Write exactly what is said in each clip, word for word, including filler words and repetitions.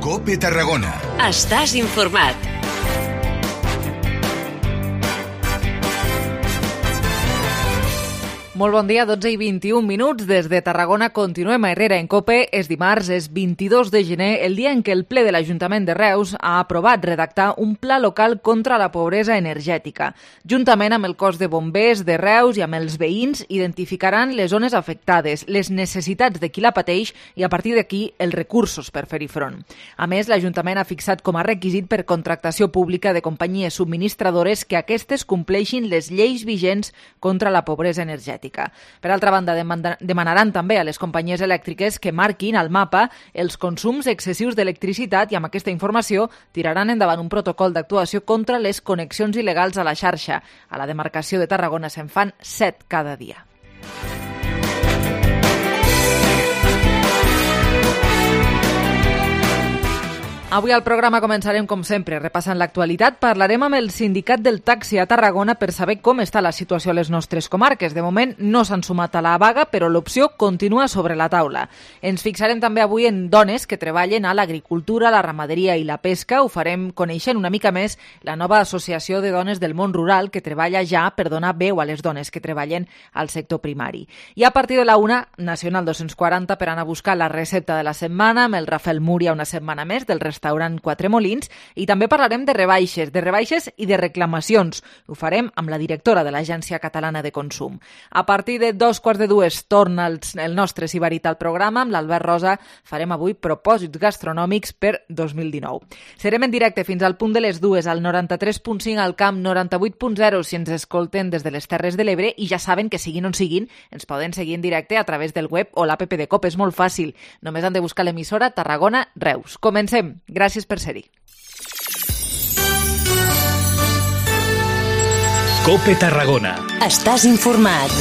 COPE Tarragona. Estàs informat. Molt bon dia, dotze i vint-i-un minuts. Des de Tarragona continuem a Herrera en COPE. És dimarts, és vint-i-dos de gener, el dia en què el ple de l'Ajuntament de Reus ha aprovat redactar un pla local contra la pobresa energètica. Juntament amb el cos de bombers de Reus i amb els veïns identificaran les zones afectades, les necessitats de qui la pateix i a partir d'aquí els recursos per fer-hi front. A més, l'Ajuntament ha fixat com a requisit per contractació pública de companyies subministradores que aquestes compleixin les lleis vigents contra la pobresa energètica. Per altra banda, demanaran també a les companyies elèctriques que marquin al mapa els consums excessius d'electricitat i amb aquesta informació tiraran endavant un protocol d'actuació contra les connexions il·legals a la xarxa. A la demarcació de Tarragona se'n fan set cada dia. Avui al programa començarem, com sempre, repassant l'actualitat. Parlarem amb el sindicat del taxi a Tarragona per saber com està la situació a les nostres comarques. De moment no s'han sumat a la vaga, però l'opció continua sobre la taula. Ens fixarem també avui en dones que treballen a l'agricultura, la ramaderia i la pesca. Ho farem coneixent una mica més la nova associació de dones del món rural que treballa ja per donar veu a les dones que treballen al sector primari. I a partir de la una, Nacional dos-cents quaranta per anar a buscar la recepta de la setmana amb el Rafael Múria una setmana més del restaurant restaurant Quatre Molins, i també parlarem de rebaixes, de rebaixes i de reclamacions. Ho farem amb la directora de l'Agència Catalana de Consum. A partir de dos quarts de dues torna el, el nostre Sibarit al programa. Amb l'Albert Rosa farem avui propòsits gastronòmics per dos mil dinou. Serem en directe fins al punt de les dues al noranta-tres punt cinc al Camp, noranta-vuit punt zero si ens escolten des de les Terres de l'Ebre, i ja saben que siguin on siguin, ens poden seguir en directe a través del web o l'app de COPE. És molt fàcil. Només han de buscar l'emissora Tarragona Reus. Comencem. Gràcies per ser-hi. COPE Tarragona. Estàs informat.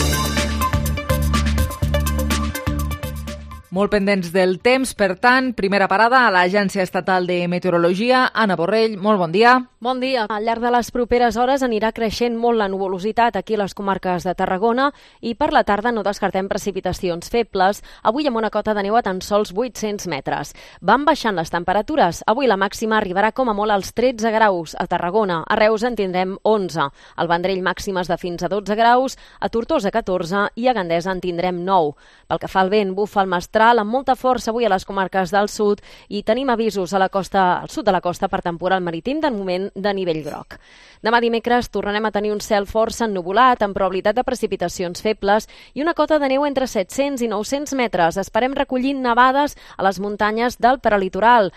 Molt pendents del temps, per tant, primera parada a l'Agència Estatal de Meteorologia. Anna Borrell, molt bon dia. Bon dia. Al llarg de les properes hores anirà creixent molt la nuvolositat aquí a les comarques de Tarragona i per la tarda no descartem precipitacions febles, avui amb una cota de neu a tan sols vuit-cents metres. Van baixant les temperatures. Avui la màxima arribarà com a molt als tretze graus a Tarragona. A Reus en tindrem onze. Al Vendrell màximes de fins a dotze graus, a Tortosa catorze i a Gandesa en tindrem nou. Pel que fa al vent, bufa el mestral amb molta força avui a les comarques del sud i tenim avisos a la costa, al sud de la costa per temporal marítim, de moment de nivell groc. Demà dimecres tornarem a tenir un cel força ennuvolat amb probabilitat de precipitacions febles i una cota de neu entre set-cents i nou-cents metres. Esperem recollir nevades a les muntanyes del prelitoral.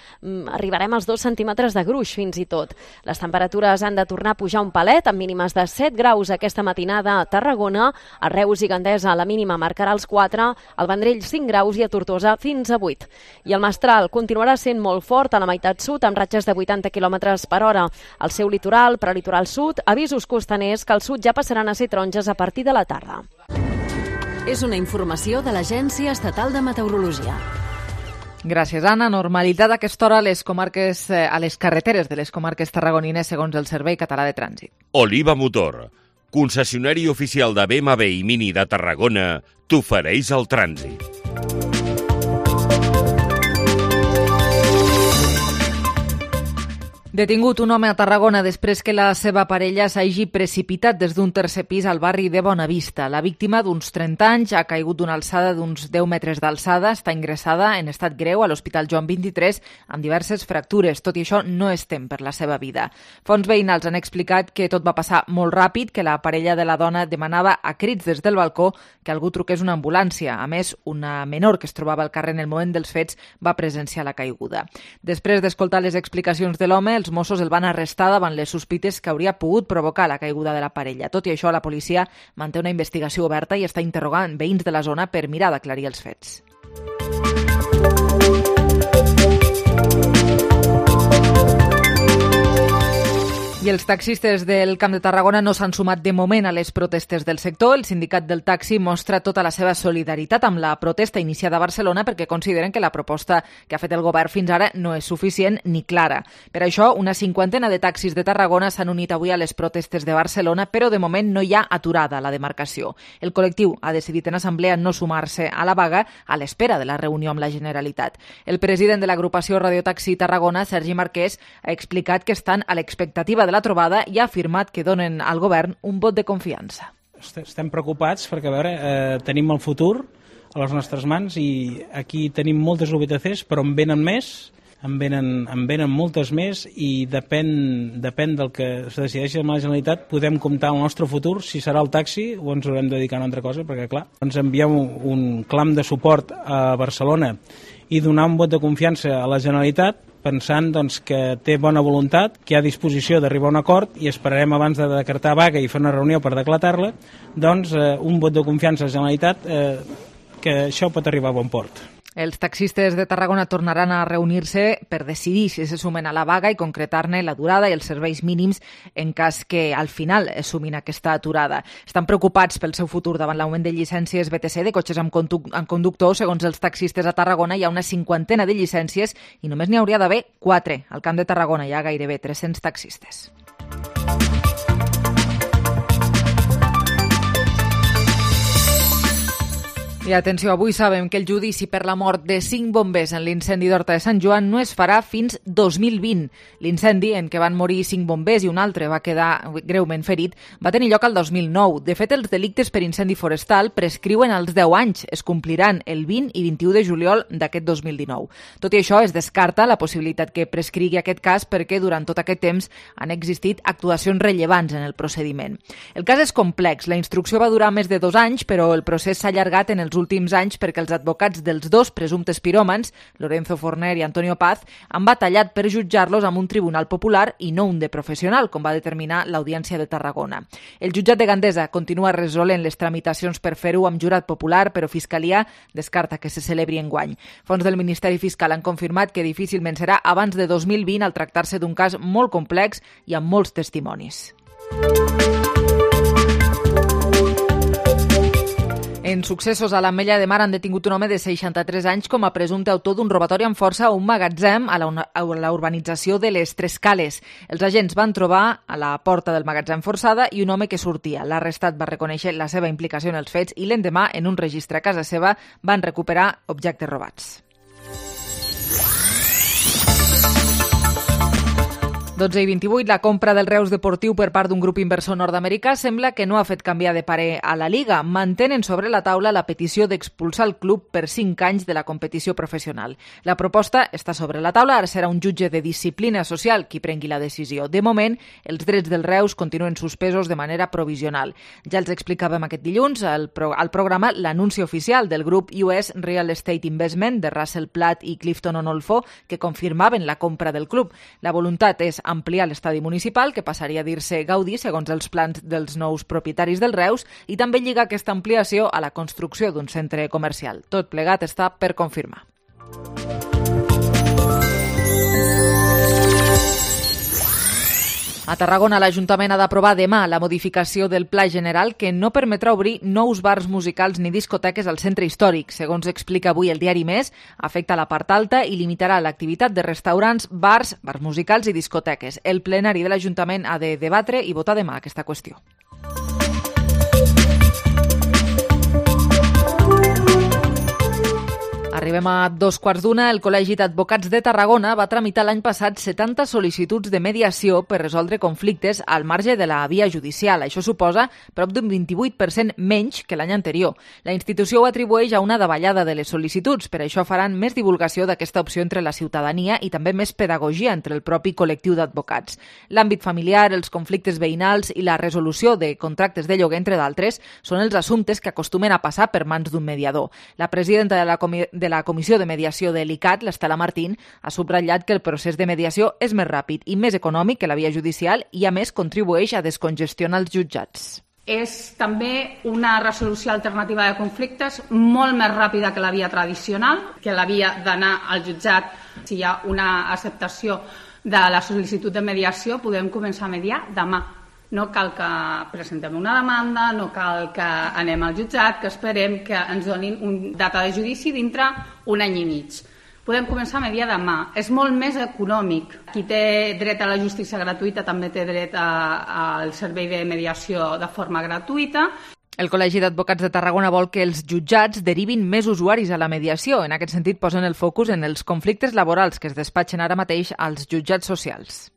Arribarem als dos centímetres de gruix fins i tot. Les temperatures han de tornar a pujar un palet amb mínimes de set graus aquesta matinada a Tarragona. A Reus i Gandesa la mínima marcarà els quatre, al Vendrell cinc graus i a Tortosa fins a vuit. I el mestral continuarà sent molt fort a la meitat sud amb ratxes de vuitanta quilòmetres per hora. Al seu litoral, prelitoral sud, avisos costaners que al sud ja passaran a ser taronges a partir de la tarda. És una informació de l'Agència Estatal de Meteorologia. Gràcies, Anna. Normalitat a aquesta hora a les comarques, a les carreteres de les comarques tarragonines segons el Servei Català de Trànsit. Oliva Motor, concessionari oficial de B M W i Mini de Tarragona, t'ofereix el trànsit. Detingut un home a Tarragona després que la seva parella s'hagi precipitat des d'un tercer pis al barri de Bonavista. La víctima, d'uns trenta anys, ha caigut d'una alçada d'uns deu metres d'alçada, està ingressada en estat greu a l'Hospital Joan vint-i-tres amb diverses fractures. Tot i això, no es tem per la seva vida. Fonts veïnals han explicat que tot va passar molt ràpid, que la parella de la dona demanava a crits des del balcó que algú truqués una ambulància. A més, una menor que es trobava al carrer en el moment dels fets va presenciar la caiguda. Després d'escoltar les explicacions de l'home, els Mossos el van arrestar davant les sospites que hauria pogut provocar la caiguda de la parella. Tot i això, la policia manté una investigació oberta i està interrogant veïns de la zona per mirar d'aclarir els fets. I el Els taxistes del Camp de Tarragona no s'han sumat de moment a les protestes del sector. El sindicat del taxi mostra tota la seva solidaritat amb la protesta iniciada a Barcelona perquè consideren que la proposta que ha fet el govern fins ara no és suficient ni clara. Per això, una cinquantena de taxis de Tarragona s'han unit avui a les protestes de Barcelona, però de moment no hi ha aturada a la demarcació. El col·lectiu ha decidit en assemblea no sumar-se a la vaga a l'espera de la reunió amb la Generalitat. El president de l'agrupació Radiotaxi Tarragona, Sergi Marquès, ha explicat que estan a l'expectativa de la trobada i ha afirmat que donen al govern un vot de confiança. Estem preocupats perquè, a veure, eh, tenim el futur a les nostres mans i aquí tenim moltes U B T Cs, però en venen més, en venen, en venen moltes més i depèn, depèn del que es decideixi amb la Generalitat podem comptar el nostre futur, si serà el taxi o ens haurem de dedicar a una altra cosa, perquè clar, ens enviem un clam de suport a Barcelona i donar un vot de confiança a la Generalitat pensant doncs, que té bona voluntat, que hi ha disposició d'arribar a un acord i esperarem abans de decretar vaga i fer una reunió per declarar-la, doncs eh, un vot de confiança a la Generalitat eh, que això pot arribar a bon port. Els taxistes de Tarragona tornaran a reunir-se per decidir si se sumen a la vaga i concretar-ne la durada i els serveis mínims en cas que al final sumin aquesta aturada. Estan preocupats pel seu futur davant l'augment de llicències B T C de cotxes amb, conduc amb conductor. Segons els taxistes a Tarragona hi ha una cinquantena de llicències i només n'hi hauria d'haver quatre. Al Camp de Tarragona hi ha gairebé tres-cents taxistes. I atenció, avui sabem que el judici per la mort de cinc bombers en l'incendi d'Horta de Sant Joan no es farà fins dos mil vint. L'incendi, en què van morir cinc bombers i un altre va quedar greument ferit, va tenir lloc al dos mil nou. De fet, els delictes per incendi forestal prescriuen als deu anys. Es compliran el vint i vint-i-u de juliol d'aquest dos mil dinou. Tot i això, es descarta la possibilitat que prescrigui aquest cas perquè durant tot aquest temps han existit actuacions rellevants en el procediment. El cas és complex. La instrucció va durar més de dos anys, però el procés s'ha allargat en els últims anys perquè els advocats dels dos presumptes piròmans, Lorenzo Forner i Antonio Paz, han batallat per jutjar-los amb un tribunal popular i no un de professional, com va determinar l'Audiència de Tarragona. El jutjat de Gandesa continua resolent les tramitacions per fer-ho amb jurat popular, però Fiscalia descarta que se celebri enguany. Fons del Ministeri Fiscal han confirmat que difícilment serà abans de dos mil vint al tractar-se d'un cas molt complex i amb molts testimonis. En successos a l'Ametlla de Mar han detingut un home de seixanta-tres anys com a presumpte autor d'un robatori amb força a un magatzem a la, a la urbanització de les Tres Cales. Els agents van trobar a la porta del magatzem forçada i un home que sortia. L'arrestat va reconèixer la seva implicació en els fets i l'endemà, en un registre a casa seva, van recuperar objectes robats. dotze i vint-i-vuit, la compra del Reus Deportiu per part d'un grup inversor nord-americà sembla que no ha fet canviar de parer a la Liga. Mantenen sobre la taula la petició d'expulsar el club per cinc anys de la competició professional. La proposta està sobre la taula, ara serà un jutge de disciplina social qui prengui la decisió. De moment, els drets del Reus continuen suspesos de manera provisional. Ja els explicàvem aquest dilluns al, pro al programa l'anunci oficial del grup U S Real Estate Investment de Russell Platt i Clifton Onolfo que confirmaven la compra del club. La voluntat és ampliar l'estadi municipal, que passaria a dir-se Gaudí, segons els plans dels nous propietaris del Reus, i també lligar aquesta ampliació a la construcció d'un centre comercial. Tot plegat està per confirmar. A Tarragona, l'Ajuntament ha d'aprovar demà la modificació del Pla General que no permetrà obrir nous bars musicals ni discoteques al centre històric. Segons explica avui el diari Més, afecta la part alta i limitarà l'activitat de restaurants, bars, bars musicals i discoteques. El plenari de l'Ajuntament ha de debatre i votar demà aquesta qüestió. Arribem a dos quarts d'una. El Col·legi d'Advocats de Tarragona va tramitar l'any passat setanta sol·licituds de mediació per resoldre conflictes al marge de la via judicial. Això suposa prop d'un vint-i-vuit per cent menys que l'any anterior. La institució ho atribueix a una davallada de les sol·licituds. Per això faran més divulgació d'aquesta opció entre la ciutadania i també més pedagogia entre el propi col·lectiu d'advocats. L'àmbit familiar, els conflictes veïnals i la resolució de contractes de lloguer, entre d'altres, són els assumptes que acostumen a passar per mans d'un mediador. La presidenta de la Comissió de la Comissió de Mediació de l'I C A T, l'Estela Martín, ha subratllat que el procés de mediació és més ràpid i més econòmic que la via judicial i, a més, contribueix a descongestionar els jutjats. És també una resolució alternativa de conflictes molt més ràpida que la via tradicional, que la via d'anar al jutjat si hi ha una acceptació de la sol·licitud de mediació podem començar a mediar demà. No cal que presentem una demanda, no cal que anem al jutjat, que esperem que ens donin una data de judici dintre un any i mig. Podem començar a mediar demà. És molt més econòmic. Qui té dret a la justícia gratuïta també té dret al servei de mediació de forma gratuïta. El Col·legi d'Advocats de Tarragona vol que els jutjats derivin més usuaris a la mediació. En aquest sentit, posen el focus en els conflictes laborals que es despatxen ara mateix als jutjats socials.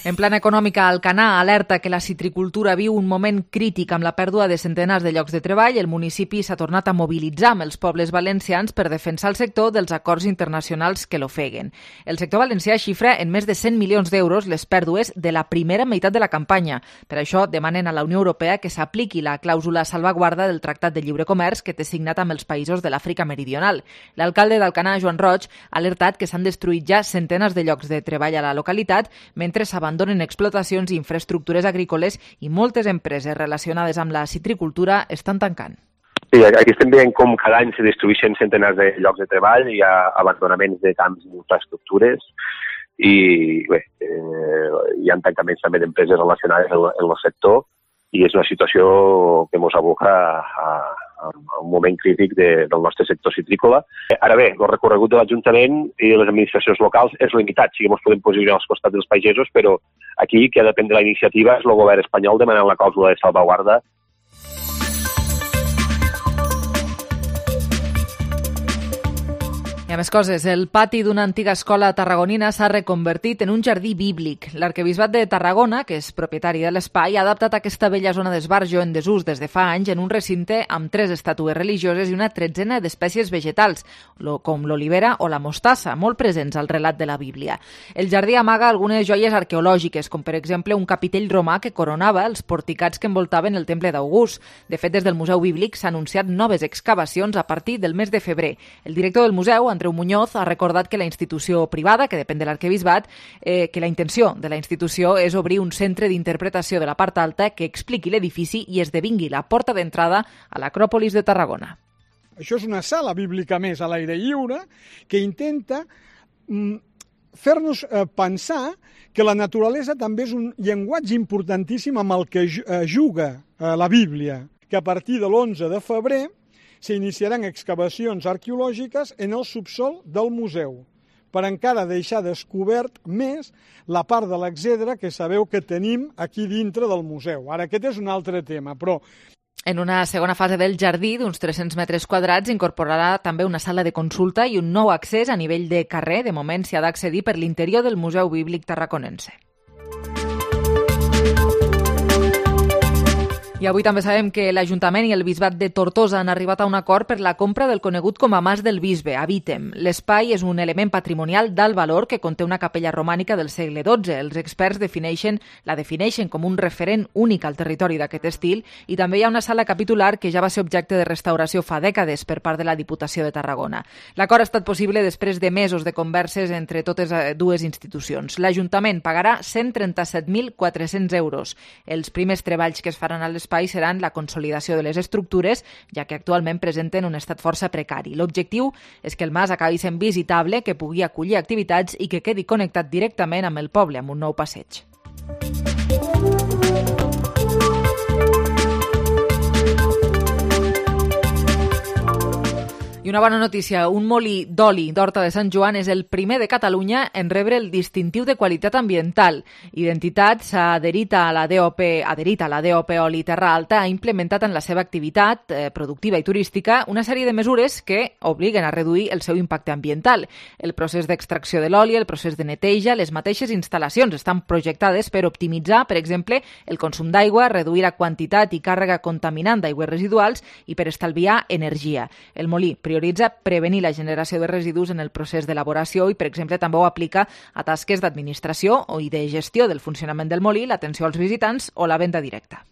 En plana econòmica, Alcanar alerta que la citricultura viu un moment crític amb la pèrdua de centenars de llocs de treball. El municipi s'ha tornat a mobilitzar amb els pobles valencians per defensar el sector dels acords internacionals que l'ofeguen. El sector valencià xifra en més de cent milions d'euros les pèrdues de la primera meitat de la campanya. Per això demanen a la Unió Europea que s'apliqui la clàusula salvaguarda del Tractat de Lliure Comerç que té signat amb els països de l'Àfrica Meridional. L'alcalde d'Alcanar, Joan Roig, ha alertat que s'han destruït ja centenars de llocs de treball a la localitat mentre s'abandonen donen explotacions i infraestructures agrícoles i moltes empreses relacionades amb la citricultura estan tancant. Sí, aquí estem veient com cada any se destrueixen centenars de llocs de treball, hi ha abandonaments de camps i infraestructures i bé, eh, hi ha tancaments també d'empreses relacionades en el sector i és una situació que ens aboca a, a un moment crític de, del nostre sector citrícola. Ara bé, el recorregut de l'Ajuntament i les administracions locals és limitat, sí que ens podem posicionar als costats dels pagesos, però aquí qui ha de prendre la iniciativa és el govern espanyol demanant la clàusula de salvaguarda. I a més coses, el pati d'una antiga escola tarragonina s'ha reconvertit en un jardí bíblic. L'Arquebisbat de Tarragona, que és propietari de l'espai, ha adaptat aquesta vella zona d'esbarjo en desús des de fa anys en un recinte amb tres estàtues religioses i una tretzena d'espècies vegetals, com l'olivera o la mostassa, molt presents al relat de la Bíblia. El jardí amaga algunes joies arqueològiques, com per exemple un capitell romà que coronava els porticats que envoltaven el temple d'August. De fet, des del Museu Bíblic s'han anunciat noves excavacions a partir del mes de febrer. El director del museu, Andreu Muñoz, ha recordat que la institució privada, que depèn de l'Arquebisbat, eh, que la intenció de la institució és obrir un centre d'interpretació de la part alta que expliqui l'edifici i esdevingui la porta d'entrada a l'Acròpolis de Tarragona. Això és una sala bíblica més a l'aire lliure que intenta mm, fer-nos eh, pensar que la naturalesa també és un llenguatge importantíssim amb el que eh, juga eh, la Bíblia, que a partir de l'onze de febrer s'iniciaran excavacions arqueològiques en el subsol del museu, per encara deixar descobert més la part de l'exedra que sabeu que tenim aquí dintre del museu. Ara, aquest és un altre tema, però... En una segona fase del jardí, d'uns tres-cents metres quadrats, incorporarà també una sala de consulta i un nou accés a nivell de carrer. De moment s'hi ha d'accedir per l'interior del Museu Bíblic Tarraconense. I avui també sabem que l'Ajuntament i el Bisbat de Tortosa han arribat a un acord per la compra del conegut com a Mas del Bisbe, a Vítem. L'espai és un element patrimonial d'alt valor que conté una capella romànica del segle dotze. Els experts defineixen, la defineixen com un referent únic al territori d'aquest estil i també hi ha una sala capitular que ja va ser objecte de restauració fa dècades per part de la Diputació de Tarragona. L'acord ha estat possible després de mesos de converses entre totes dues institucions. L'Ajuntament pagarà cent trenta-set mil quatre-cents euros. Els primers treballs que es faran a l'espai seran la consolidació de les estructures, ja que actualment presenten un estat força precari. L'objectiu és que el mas acabi sent visitable, que pugui acollir activitats i que quedi connectat directament amb el poble, amb un nou passeig. I una bona notícia, un molí d'oli d'Horta de Sant Joan és el primer de Catalunya en rebre el distintiu de qualitat ambiental. Identitat s'ha adherit a la D O P, adherit a la D O P Oli Terra Alta, ha implementat en la seva activitat eh, productiva i turística una sèrie de mesures que obliguen a reduir el seu impacte ambiental. El procés d'extracció de l'oli, el procés de neteja, les mateixes instal·lacions estan projectades per optimitzar, per exemple, el consum d'aigua, reduir la quantitat i càrrega contaminant d'aigües residuals i per estalviar energia. El molí prioritza prevenir la generació de residus en el procés d'elaboració i, per exemple, també ho aplica a tasques d'administració o i de gestió del funcionament del molí, l'atenció als visitants o la venda directa.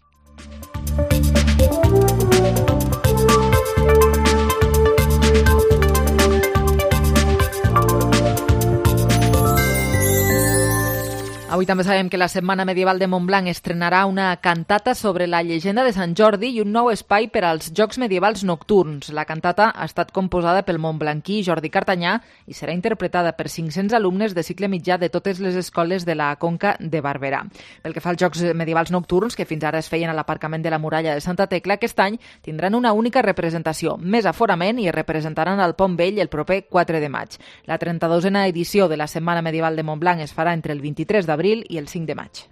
Avui també sabem que la Setmana Medieval de Montblanc estrenarà una cantata sobre la llegenda de Sant Jordi i un nou espai per als Jocs Medievals Nocturns. La cantata ha estat composada pel montblanquí Jordi Cartanyà i serà interpretada per cinc-cents alumnes de cicle mitjà de totes les escoles de la Conca de Barberà. Pel que fa als Jocs Medievals Nocturns, que fins ara es feien a l'aparcament de la muralla de Santa Tecla, aquest any tindran una única representació, més aforament, i es representaran al Pont Vell el proper quatre de maig. La trenta-dosena edició de la Setmana Medieval de Montblanc es farà entre el vint-i-tres d'abril i el cinc de maig.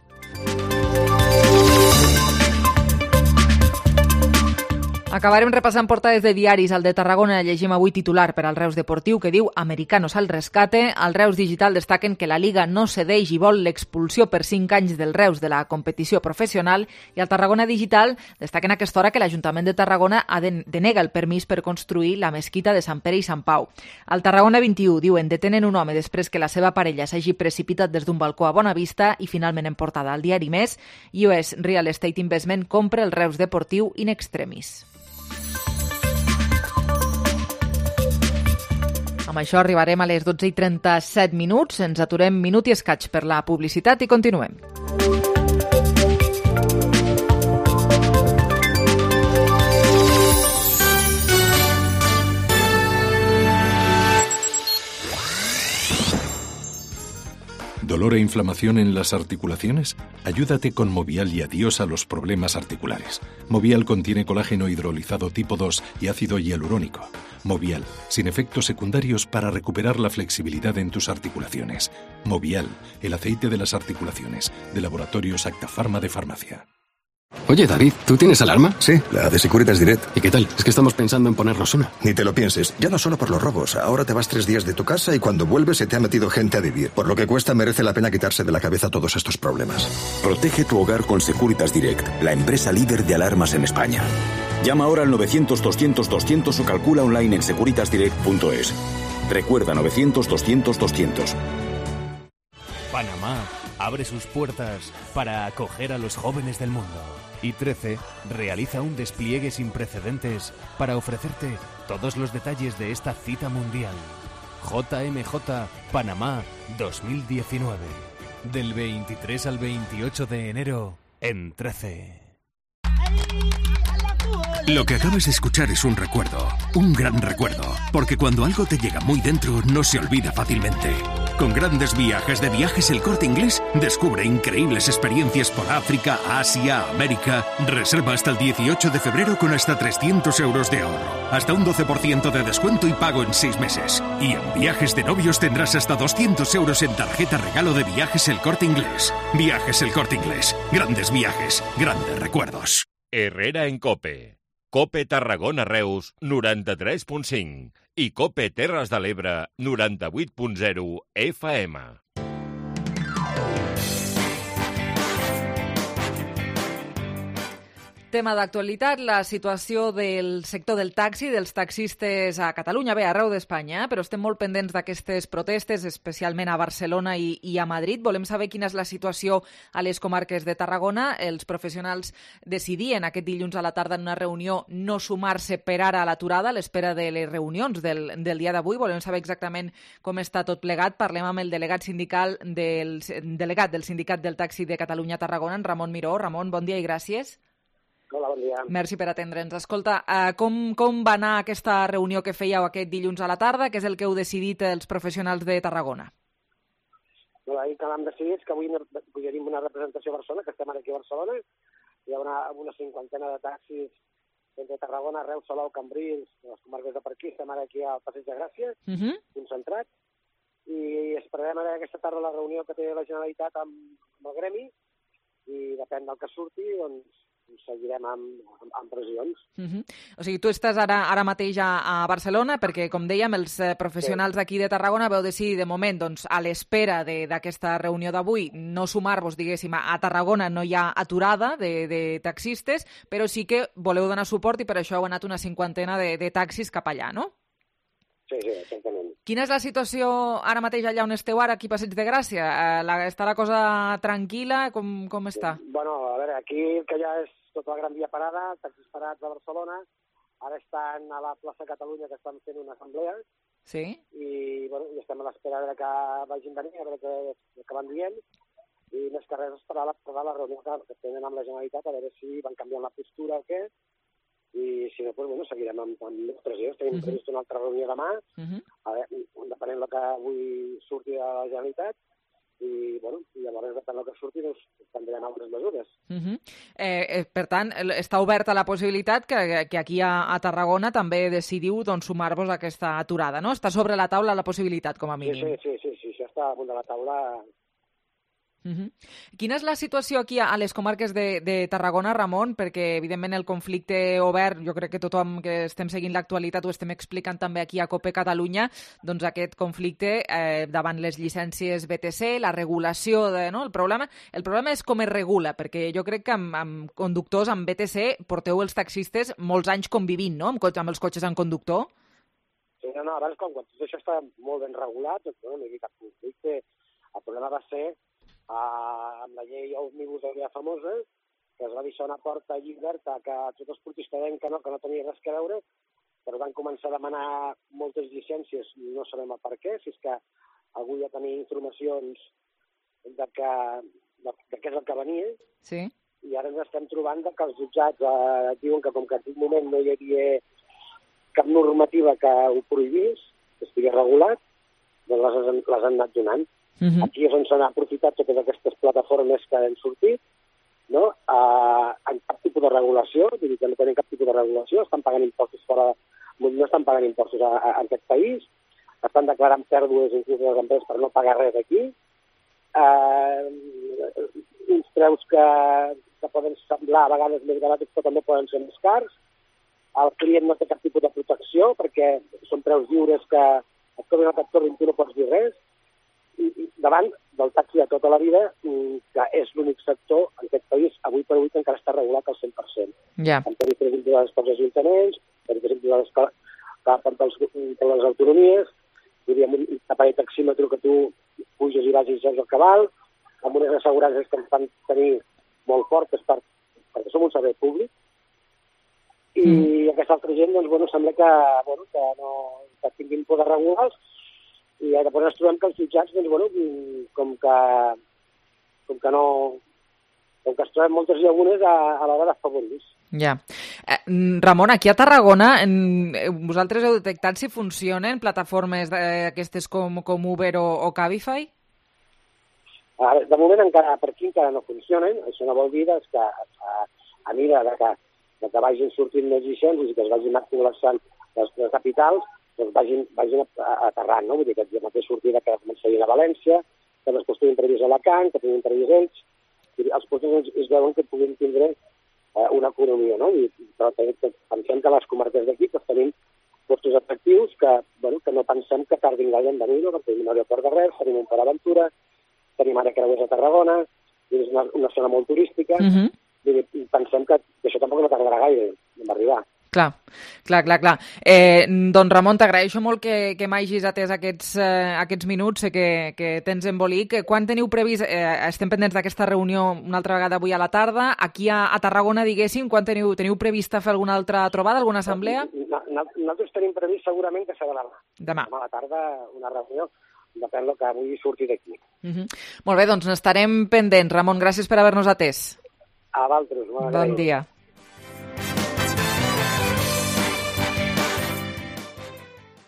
Acabarem repassant portades de diaris. Al de Tarragona llegim avui titular per al Reus Deportiu que diu «Americanos al rescate». Al Reus Digital destaquen que la Liga no cedeix i vol l'expulsió per cinc anys del Reus de la competició professional, i al Tarragona Digital destaquen a aquesta hora que l'Ajuntament de Tarragona ha de, denega el permís per construir la mesquita de Sant Pere i Sant Pau. Al Tarragona vint-i-u diuen detenen un home després que la seva parella s'hagi precipitat des d'un balcó a Bonavista i finalment en portada al diari Més. U S Real Estate Investment compra el Reus Deportiu in extremis. Amb això arribarem a les dotze i trenta-set minuts. Ens aturem minut i escaig per la publicitat i continuem. ¿Dolor e inflamación en las articulaciones? Ayúdate con Movial y adiós a los problemas articulares. Movial contiene colágeno hidrolizado tipo dos y ácido hialurónico. Movial, sin efectos secundarios para recuperar la flexibilidad en tus articulaciones. Movial, el aceite de las articulaciones, de Laboratorios Acta Pharma de Farmacia. Oye, David, ¿tú tienes alarma? Sí, la de Securitas Direct. ¿Y qué tal? Es que estamos pensando en ponernos una. Ni te lo pienses. Ya no solo por los robos. Ahora te vas tres días de tu casa y cuando vuelves se te ha metido gente a vivir. Por lo que cuesta, merece la pena quitarse de la cabeza todos estos problemas. Protege tu hogar con Securitas Direct, la empresa líder de alarmas en España. Llama ahora al novecientos doscientos doscientos o calcula online en securitas direct punto es. Recuerda novecientos doscientos doscientos. Panamá abre sus puertas para acoger a los jóvenes del mundo. Y trece realiza un despliegue sin precedentes para ofrecerte todos los detalles de esta cita mundial. J M J Panamá dos mil diecinueve. Del veintitrés al veintiocho de enero en trece. Lo que acabas de escuchar es un recuerdo, un gran recuerdo, porque cuando algo te llega muy dentro no se olvida fácilmente. Con grandes viajes de Viajes El Corte Inglés, descubre increíbles experiencias por África, Asia, América. Reserva hasta el dieciocho de febrero con hasta trescientos euros de ahorro, hasta un doce por ciento de descuento y pago en seis meses. Y en Viajes de Novios tendrás hasta doscientos euros en tarjeta regalo de Viajes El Corte Inglés. Viajes El Corte Inglés. Grandes viajes, grandes recuerdos. Herrera en Cope. Cope Tarragona Reus noranta-tres punt cinc i Cope Terres de l'Ebre noranta-vuit punt zero F M. Tema d'actualitat, la situació del sector del taxi, dels taxistes a Catalunya, bé, arreu d'Espanya, però estem molt pendents d'aquestes protestes, especialment a Barcelona i, i a Madrid. Volem saber quina és la situació a les comarques de Tarragona. Els professionals decidien aquest dilluns a la tarda en una reunió no sumar-se per ara a l'aturada a l'espera de les reunions del, del dia d'avui. Volem saber exactament com està tot plegat. Parlem amb el delegat sindical del, delegat del Sindicat del Taxi de Catalunya a Tarragona, en Ramon Miró. Ramon, bon dia i gràcies. Hola, bon dia. Merci per atendre'ns. Escolta, uh, com, com va anar aquesta reunió que fèieu aquest dilluns a la tarda? Què és el que heu decidit els professionals de Tarragona? No, ahir que l'hem decidit que avui tenim una representació a Barcelona, que estem ara aquí a Barcelona. Hi ha una, una cinquantena de taxis entre Tarragona, Reus, Salou, Cambrils, les comarques de per aquí. Estem ara aquí al Passeig de Gràcia, uh -huh. concentrats. I esperarem ara aquesta tarda la reunió que té la Generalitat amb, amb el gremi i depèn del que surti, doncs seguirem amb, amb, amb pressions. Uh -huh. O sigui, tu estàs ara, ara mateix a, a Barcelona perquè, com dèiem, els eh, professionals sí. d'aquí de Tarragona veu decidir, de moment, doncs, a l'espera d'aquesta reunió d'avui, no sumar-vos, diguéssim, a Tarragona no hi ha aturada de, de taxistes, però sí que voleu donar suport i per això heu anat una cinquantena de, de taxis cap allà, no? Sí, sí, exactament. Quina és la situació ara mateix allà on esteu ara, aquí a Passeig de Gràcia? Eh, la, està la cosa tranquil·la? Com, com està? Bueno, a veure, aquí que ja és tota la Gran Via parada, taxis parats a Barcelona, ara estan a la plaça Catalunya que estan fent una assemblea, sí. i, bueno, i estem a l'espera de que vagin venint, a veure què, què van dient, i més que res esperar la, esperar la reunió que, que tenen amb la Generalitat, a veure si van canviant la postura o què, i si no, doncs, bueno, seguirem amb, amb les pressions. Tenim uh-huh. previst una altra reunió demà, uh-huh. a veure, depenent del que avui surti de la Generalitat, i, bueno, i llavors, depèn del que surti, doncs, prendrem altres mesures. Uh-huh. eh, eh, per tant, està oberta la possibilitat que, que aquí a, a Tarragona també decidiu doncs, sumar-vos a aquesta aturada, no? Està sobre la taula la possibilitat, com a mínim. Sí, sí, sí, sí, sí, això està damunt de la taula. Uh-huh. Quina és la situació aquí a les comarques de, de Tarragona, Ramon? Perquè, evidentment, el conflicte obert, jo crec que tothom que estem seguint l'actualitat ho estem explicant també aquí a COPE Catalunya, doncs aquest conflicte eh, davant les llicències B T C, la regulació, de, no? El problema, el problema és com es regula, perquè jo crec que amb, amb conductors, amb B T C, porteu els taxistes molts anys convivint, no?, amb, amb els cotxes amb conductor. Sí, no, no, abans, quan, quan tot això està molt ben regulat, doncs, no, no hi ha cap conflicte. El problema va ser Uh, amb la llei òmnibus aquella famosa, que es va deixar una porta lliberta que tots els portistes deien que no, que no tenia res que veure, però van començar a demanar moltes llicències, no sabem el per què, si és que algú ja tenia informacions de, que, de, de què és el que venia, sí. I ara ens estem trobant que els jutjats eh, diuen que com que en aquest moment no hi havia cap normativa que ho prohibís, que estigui regulat, doncs les, les han anat donant. Uh-huh. Aquí és on s'han aprofitat totes aquestes plataformes que han sortit, no? Uh, en cap tipus de regulació, vull dir que no tenen cap tipus de regulació, estan pagant impostos fora, no estan pagant impostos a, a, a aquest país, estan declarant pèrdues inclús les empreses per no pagar res aquí, uh, uns preus que, que poden semblar a vegades més barats però també poden ser més cars, el client no té cap tipus de protecció perquè són preus lliures que et tornen a t'actorrin, tu no pots dir res, i, i davant del taxi de tota la vida, que és l'únic sector en aquest país, avui per avui, que encara està regulat al cent per cent. Ja. Amb tarifes individuals pels ajuntaments, tarifes individuals per, per, per les autonomies, diríem un aparell taxímetre que tu puges i vagis al cabal, amb unes assegurances que ens fan tenir molt fortes per, perquè som un servei públic, i mm. aquesta altra gent, doncs, bueno, sembla que, bueno, que no que tinguin poder regulars, i després ens trobem que els jutjats, doncs, bueno, com que, com que no... com que es troben moltes llagunes a, a l'hora d'afavorir. Ja. Eh, Ramon, aquí a Tarragona, en, vosaltres heu detectat si funcionen plataformes d'aquestes com, com Uber o, o Cabify? De moment encara, per aquí encara no funcionen. Això no vol dir doncs, que a, a mira de que, de que vagin sortint més llicències i que es vagin col·lapsant les, les capitals, doncs vagin, vagin aterrant, no? Vull dir que ja mateix sortida que començarien a València, que després tinguin previst a Alacant, que tinguin previst ells. Els porters es veuen que puguin tindre eh, una economia, no? I, però pensem que les comarques d'aquí pues, tenim portos atractius que, bueno, que no pensem que tardin gaire en venir, no? Perquè tenim un aeroport de Reus, tenim un Port Aventura, tenim ara creuers a Tarragona, és una, una zona molt turística, uh-huh. I pensem que, que això tampoc no tardarà gaire en arribar. Clar, clar, clar, clar. Eh, doncs Ramon, t'agraeixo molt que, que m'hagis atès aquests, eh, aquests minuts, sé que, que tens embolic. Quan teniu previst, eh, estem pendents d'aquesta reunió una altra vegada avui a la tarda, aquí a, a Tarragona, diguéssim, quan teniu, teniu prevista fer alguna altra trobada, alguna assemblea? Nosaltres tenim previst segurament que serà demà. Demà. Demà a la tarda una reunió, depèn del que avui surti d'aquí. Uh-huh. Molt bé, doncs n'estarem pendents. Ramon, gràcies per haver-nos atès. A vosaltres. Bon dia.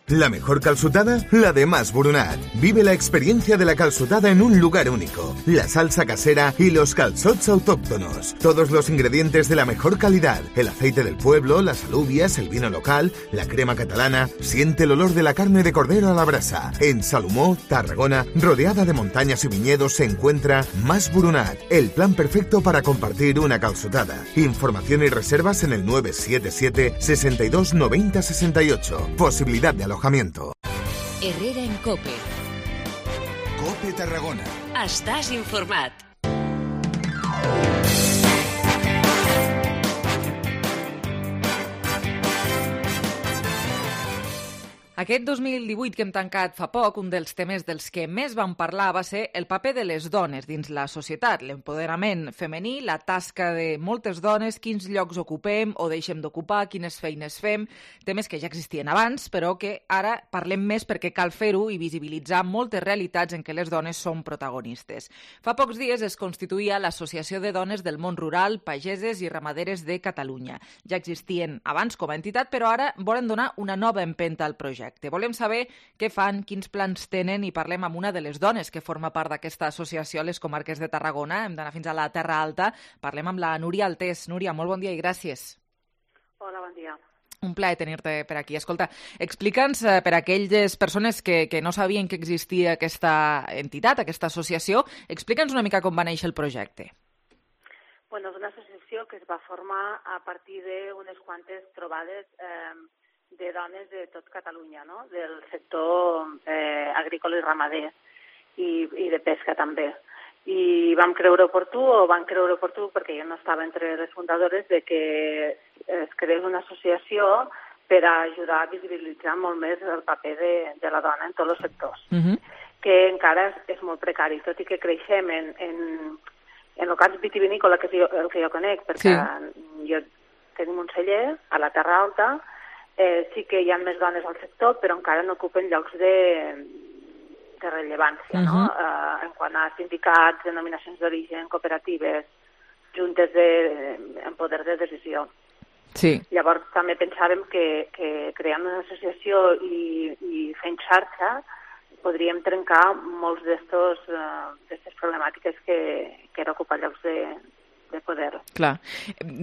La mejor calçotada, la de Mas Boronat. Vive la experiencia de la calçotada en un lugar único. La salsa casera y los calçots autóctonos. Todos los ingredientes de la mejor calidad. El aceite del pueblo, las alubias, el vino local, la crema catalana. Siente el olor de la carne de cordero a la brasa. En Salomó, Tarragona, rodeada de montañas y viñedos, se encuentra Mas Boronat. El plan perfecto para compartir una calçotada. Información y reservas en el nueve siete siete, sesenta y dos, noventa, sesenta y ocho. Posibilidad de alojamiento. Herrera en COPE. COPE Tarragona. Estàs informat. Aquest dos mil divuit que hem tancat fa poc, un dels temes dels que més vam parlar va ser el paper de les dones dins la societat, l'empoderament femení, la tasca de moltes dones, quins llocs ocupem o deixem d'ocupar, quines feines fem, temes que ja existien abans, però que ara parlem més perquè cal fer-ho i visibilitzar moltes realitats en què les dones són protagonistes. Fa pocs dies es constituïa l'Associació de Dones del Món Rural, Pageses i Ramaderes de Catalunya. Ja existien abans com a entitat, però ara volen donar una nova empenta al projecte. Volem saber què fan, quins plans tenen i parlem amb una de les dones que forma part d'aquesta associació a les comarques de Tarragona. Hem d'anar fins a la Terra Alta. Parlem amb la Núria Altés. Núria, molt bon dia i gràcies. Hola, bon dia. Un plaer tenir-te per aquí. Escolta, explica'ns eh, per a aquelles persones que, que no sabien que existia aquesta entitat, aquesta associació, explica'ns una mica com va néixer el projecte. Bueno, és una associació que es va formar a partir d'unes quantes trobades eh, de dones de tot Catalunya, no? Del sector eh, agrícola i ramader i, i de pesca també. I vam creure oportú, o van creure oportú, perquè jo no estava entre les fundadores, de que es creés una associació per a ajudar a visibilitzar molt més el paper de, de la dona en tots els sectors, uh-huh. que encara és, és molt precari, tot i que creixem en, en, en el cas vitivinícola, que és jo, el que jo conec, perquè sí. jo tenim un celler a la Terra Alta. Eh, sí que hi ha més dones al sector, però encara no ocupen llocs de, de rellevància, uh-huh. no? Eh, en quant a sindicats, denominacions d'origen, cooperatives, juntes de, en poder de decisió. Sí. Llavors també pensàvem que, que creant una associació i, i fent xarxa podríem trencar molts d'estos, uh, d'estes problemàtiques que, que era ocupar llocs de, de poder. Clar.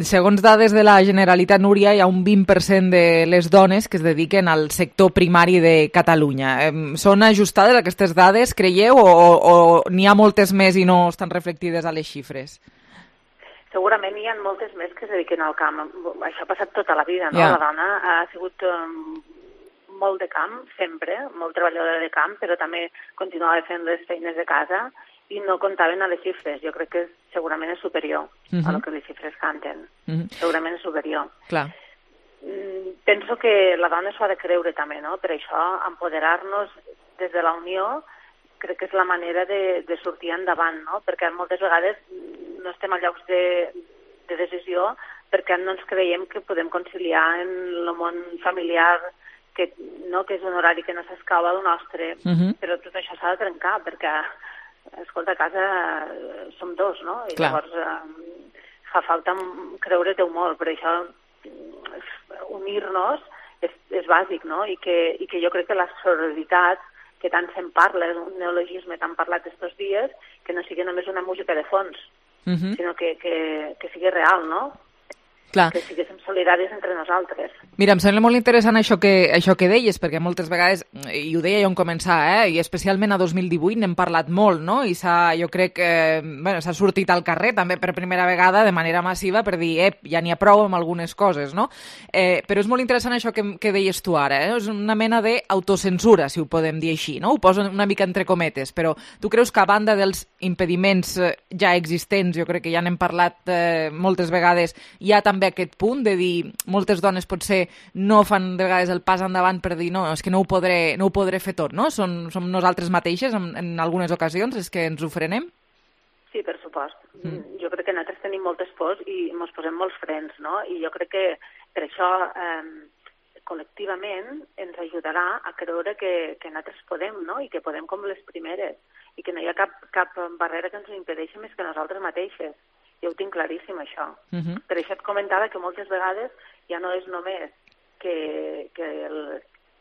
Segons dades de la Generalitat, Núria, hi ha un vint per cent de les dones que es dediquen al sector primari de Catalunya. Són ajustades aquestes dades, creieu, o, o n'hi ha moltes més i no estan reflectides a les xifres? Segurament hi ha moltes més que es dediquen al camp. Això ha passat tota la vida, no? Yeah. La dona ha sigut um, molt de camp, sempre, molt treballadora de camp, però també continuava fent les feines de casa i no comptaven a les xifres. Jo crec que segurament és superior uh-huh. a lo que les xifres canten. Uh-huh. Segurament és superior. Clar. Mm, penso que la dona s'ho ha de creure també, no? Per això, empoderar-nos des de la unió crec que és la manera de, de sortir endavant, no? Perquè moltes vegades no estem a llocs de, de decisió perquè no ens creiem que podem conciliar en el món familiar, que, no, que és un horari que no s'escau al nostre, uh-huh. però tot això s'ha de trencar perquè, escolta, a casa som dos, no? I Clar. Llavors eh, fa falta creure-t'ho molt, per això unir-nos és, és bàsic, no? I que, i que jo crec que la sororitat que tant se'n parla, és un neologisme tan parlat estos dies, que no sigui només una música de fons, uh-huh. sinó que, que, que sigui real, no? Clar. Que siguéssim solidaris entre nosaltres. Mira, em sembla molt interessant això que, això que deies, perquè moltes vegades, i ho deia jo en començar, eh, i especialment a dos mil divuit n'hem parlat molt, no? I s'ha, jo crec que bueno, s'ha sortit al carrer també per primera vegada de manera massiva per dir, ep, ja n'hi ha prou amb algunes coses, no? Eh, però és molt interessant això que, que deies tu ara, eh? És una mena d'autocensura, si ho podem dir així, no? Ho poso una mica entre cometes, però tu creus que a banda dels impediments ja existents, jo crec que ja n'hem parlat eh, moltes vegades, hi ha també aquest punt de dir moltes dones potser no fan de vegades el pas endavant per dir no, és que no ho podré, no ho podré fer tot, no? Som, som nosaltres mateixes en, en algunes ocasions, és que ens ho frenem? Sí, per supost. Mm. Jo crec que nosaltres tenim moltes pors i ens posem molts frens, no? I jo crec que per això eh, col·lectivament ens ajudarà a creure que, que nosaltres podem, no? I que podem com les primeres i que no hi ha cap, cap barrera que ens ho impedeixi més que nosaltres mateixes. Jo ho tinc claríssim, això. Uh-huh. Per això et comentava que moltes vegades ja no és només que, que, el,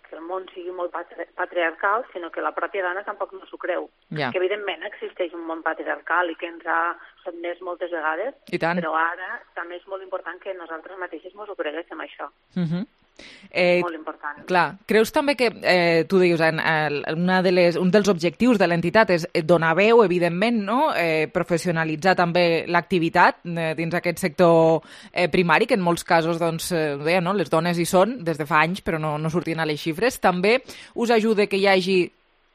que el món sigui molt patri patriarcal, sinó que la pròpia dona tampoc no s'ho creu. Yeah. Que evidentment existeix un món patriarcal i que ens ha sotmès moltes vegades, però ara també és molt important que nosaltres mateixes ens ho creguéssim, això. Uh-huh. Eh, molt important. Clar. Creus també que, eh, tu dius, en, en, una de les, un dels objectius de l'entitat és donar veu, evidentment, no? eh, professionalitzar també l'activitat eh, dins aquest sector eh, primari, que en molts casos, doncs, eh, deia, no? Les dones hi són des de fa anys, però no, no sortien a les xifres. També us ajuda que hi hagi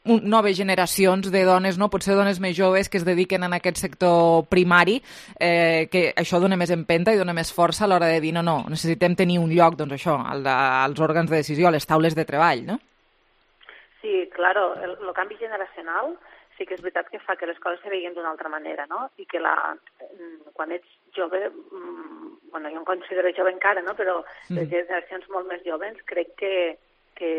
noves generacions de dones, no? Potser dones més joves que es dediquen en aquest sector primari, eh, que això dona més empenta i dona més força a l'hora de dir no, no, necessitem tenir un lloc, doncs això, al de, als òrgans de decisió, a les taules de treball, no? claro, el, el canvi generacional sí que és veritat que fa que les coses se veien d'una altra manera, no? I que la, quan ets jove, bueno, jo em considero jove encara, no? Però les generacions molt més joves crec que, que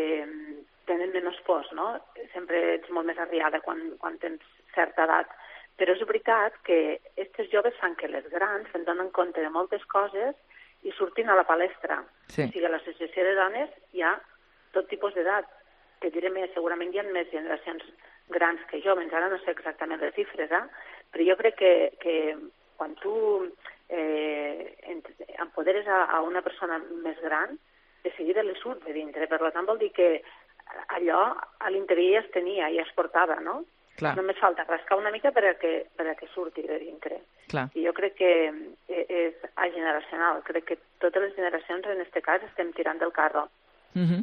tenen menys pors, no? Sempre ets molt més arriada quan, quan tens certa edat. Però és veritat que aquests joves fan que les grans se'n donen compte de moltes coses i surtin a la palestra. Sí. O sigui, a l'associació de dones hi ha tot tipus d'edat. Te diré més, segurament hi ha més generacions grans que joves, ara no sé exactament les xifres, eh? Però jo crec que, que quan tu eh, empoderes a, a una persona més gran, de seguida li surt de dintre. Per tant, vol dir que allò a l'interior ja es tenia, ja es portava, no? Clar. Només falta rascar una mica perquè, perquè surti de dintre. Clar. I jo crec que és ageneracional. Crec que totes les generacions, en aquest cas, estem tirant del carro. Uh-huh.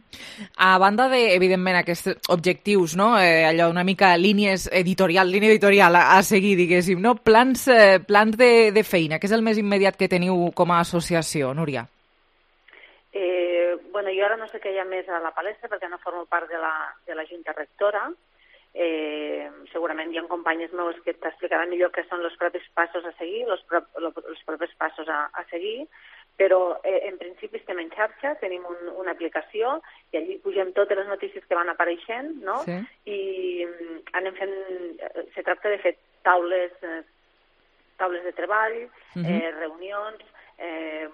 A banda de, evidentment, aquests objectius, no? Eh, allò una mica línies editorial, línia editorial a, a seguir, diguéssim, no? Plans, eh, plans de, de feina, què és el més immediat que teniu com a associació, Núria? Eh, bueno, jo ara no sé què hi ha més a la palestra perquè no formo part de la, de la Junta Rectora. Eh, segurament hi ha companyes meus que t'explicaran millor què són els propis passos a seguir, els, pro, els propis passos a, a seguir, però eh, en principi estem en xarxa, tenim un, una aplicació i allí pugem totes les notícies que van apareixent, no? Sí. I anem fent, se tracta de fer taules, eh, taules de treball, uh-huh. eh, reunions, eh,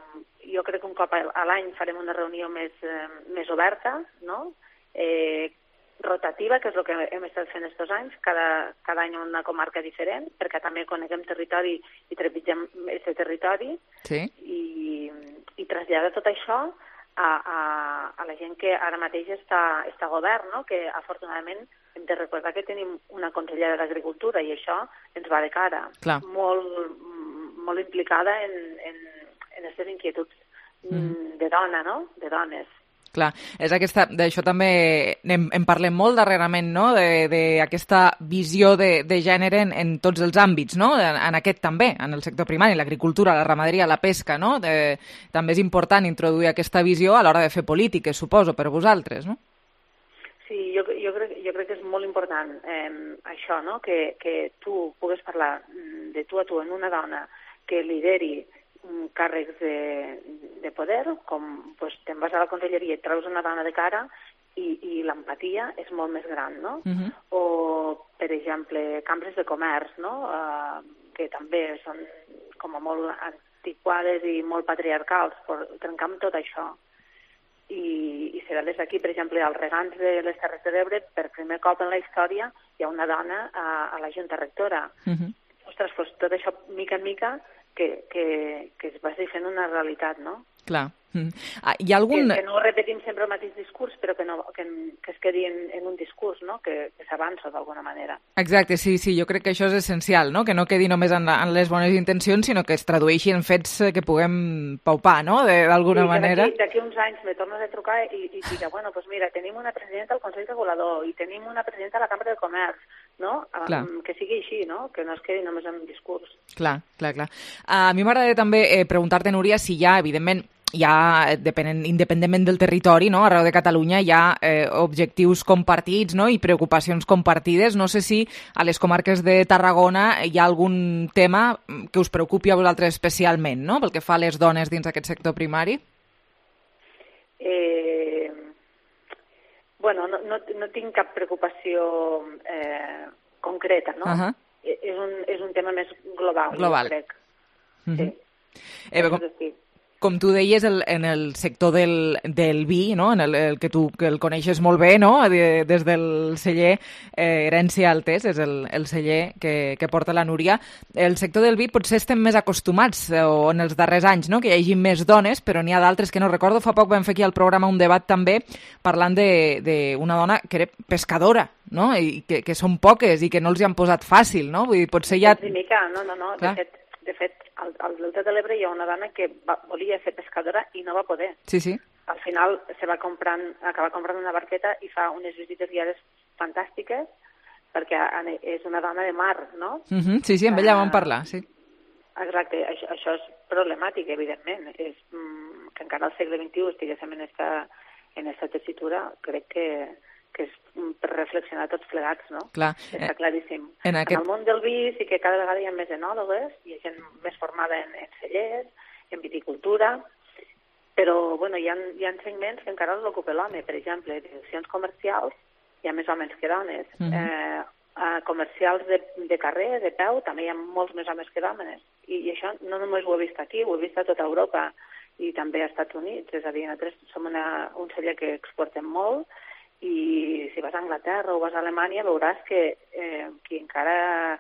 jo crec que un cop a l'any farem una reunió més, eh, més oberta, no? Eh, rotativa, que és el que hem estat fent aquests anys, cada, cada any una comarca diferent, perquè també coneguem territori i trepitgem aquest territori, sí. i, i traslladar tot això a, a, a la gent que ara mateix està, està a govern, no? Que afortunadament hem de recordar que tenim una consellera d'Agricultura i això ens va de cara, Clar. molt, molt implicada en, en, en aquestes inquietuds mm. de dona, no? De dones. Clar, és aquesta, d'això també en, en parlem molt darrerament, no? D'aquesta visió de, de gènere en, en tots els àmbits, no? En, en aquest també, en el sector primari, l'agricultura, la ramaderia, la pesca, no? De, també és important introduir aquesta visió a l'hora de fer polítiques, suposo, per vosaltres, no? Sí, jo, jo, crec, jo crec que és molt important eh, això, no? Que, que tu pugues parlar de tu a tu en una dona que lideri càrrecs de, de poder, com pues, te'n vas a la conselleria i et treus una dona de cara i, i l'empatia és molt més gran, no? Uh-huh. O, per exemple, cambres de comerç, no? Uh, que també són com a molt antiquades i molt patriarcals, per trencar amb tot això. I, i serà des d'aquí, per exemple, als regants de les Terres de l'Ebre, per primer cop en la història hi ha una dona a, a la Junta Rectora. Uh-huh. Ostres, doncs tot això, mica en mica, que, que, que es vagi fent una realitat, no? Clar. Mm. Ah, hi ha algun... Que, que no repetim sempre el mateix discurs, però que, no, que, que es quedi en, en un discurs, no? Que, que s'avança d'alguna manera. Exacte, sí, sí, jo crec que això és essencial, no? Que no quedi només en, la, en les bones intencions, sinó que es tradueixi en fets que puguem paupar, no? D'alguna sí, manera. Sí, d'aquí uns anys me tornes a trucar i, i dirà, bueno, pues mira, tenim una presidenta al Consell Regulador i tenim una presidenta a la Cambra de Comerç, no? Um, que sigui així, no? Que no es quedi només en un discurs. Clar, clar, clar. A mi m'agradaria també eh, preguntar-te, Núria, si hi ha, evidentment, hi ha, depenent, independentment del territori, no? Arreu de Catalunya hi ha eh, objectius compartits, no? I preocupacions compartides. No sé si a les comarques de Tarragona hi ha algun tema que us preocupi a vosaltres especialment, no? Pel que fa a les dones dins d'aquest sector primari. Eh... Bueno, no, no, no tinc cap preocupació eh, concreta, no? Uh-huh. És, un, és un tema més global, global. Jo crec. Uh-huh. Sí. Eh, com, com tu deies, el, en el sector del, del vi, no? En el, el que tu que el coneixes molt bé, no? De, des del celler eh, Herència Altés, és el, el celler que, que porta la Núria. El sector del vi potser estem més acostumats, eh, o en els darrers anys, no? Que hi hagi més dones, però n'hi ha d'altres que no recordo. Fa poc vam fer aquí al programa un debat també parlant d'una dona que era pescadora, no? I que, que són poques i que no els hi han posat fàcil, no? Vull dir, potser ja... Mica, no, no, no. De fet, de fet, al, al Delta de l'Ebre hi ha una dona que va, volia ser pescadora i no va poder. Sí, sí. Al final se va comprant, acaba comprant una barqueta i fa unes visites guiades fantàstiques perquè és una dona de mar, no? Uh-huh, sí, sí, amb ella vam parlar, sí. Exacte, això, això és problemàtic, evidentment. És, mm, que encara al segle vint-i-u estiguéssim en esta, en esta tessitura, crec que, que és per reflexionar tots plegats, no? Clar. Està claríssim. En, aquest... en el món del vi sí que cada vegada hi ha més enòlogues, hi ha gent més formada en, en cellers, en viticultura, però bueno, hi ha, hi ha segments que encara l'ocupa l'home. Per exemple, direccions comercials hi ha més homes que dones. Mm-hmm. eh, a comercials de, de carrer, de peu, també hi ha molts més homes que dones. I, I això no només ho he vist aquí, ho he vist a tota Europa i també als Estats Units. És a dir, nosaltres som una, un celler que exportem molt, i si vas a Anglaterra o vas a Alemanya veuràs que eh, qui encara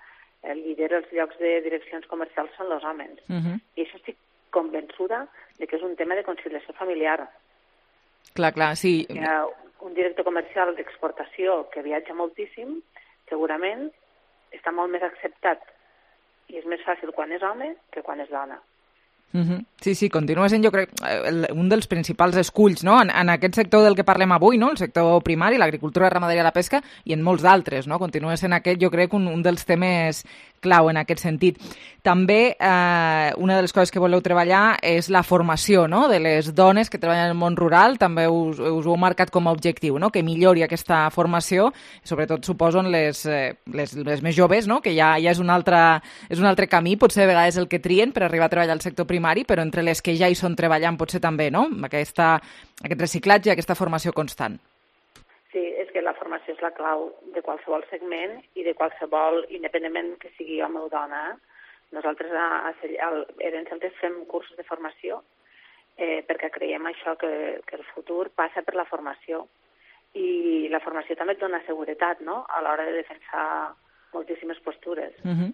lidera els llocs de direccions comercials són els homes. Uh-huh. I això estic convençuda de que és un tema de conciliació familiar. Clar, clar, sí. Hi ha un director comercial d'exportació que viatja moltíssim, segurament està molt més acceptat i és més fàcil quan és home que quan és dona. Uh-huh. Sí, sí, continua sent, jo crec, un dels principals esculls, no?, en, en aquest sector del que parlem avui, no?, el sector primari, l'agricultura, la ramaderia, la pesca, i en molts d'altres, no?, continua sent aquest, jo crec, un, un dels temes clau en aquest sentit. També eh, una de les coses que voleu treballar és la formació, no?, de les dones que treballen en el món rural, també us, us ho heu marcat com a objectiu, no?, que millori aquesta formació, sobretot suposo en les, eh, les, les més joves, no?, que ja, ja és, un altre, és un altre camí, potser a vegades el que trien per arribar a treballar al sector primari, però entre les que ja hi són treballant potser també, no?, Aquesta, aquest reciclatge i aquesta formació constant. Sí, és que la formació és la clau de qualsevol segment i de qualsevol, independentment que sigui home o dona. Nosaltres a, a, a Edenceltes fem cursos de formació eh, perquè creiem això, que, que el futur passa per la formació. I la formació també et dona seguretat, no?, a l'hora de defensar moltíssimes postures. Uh-huh.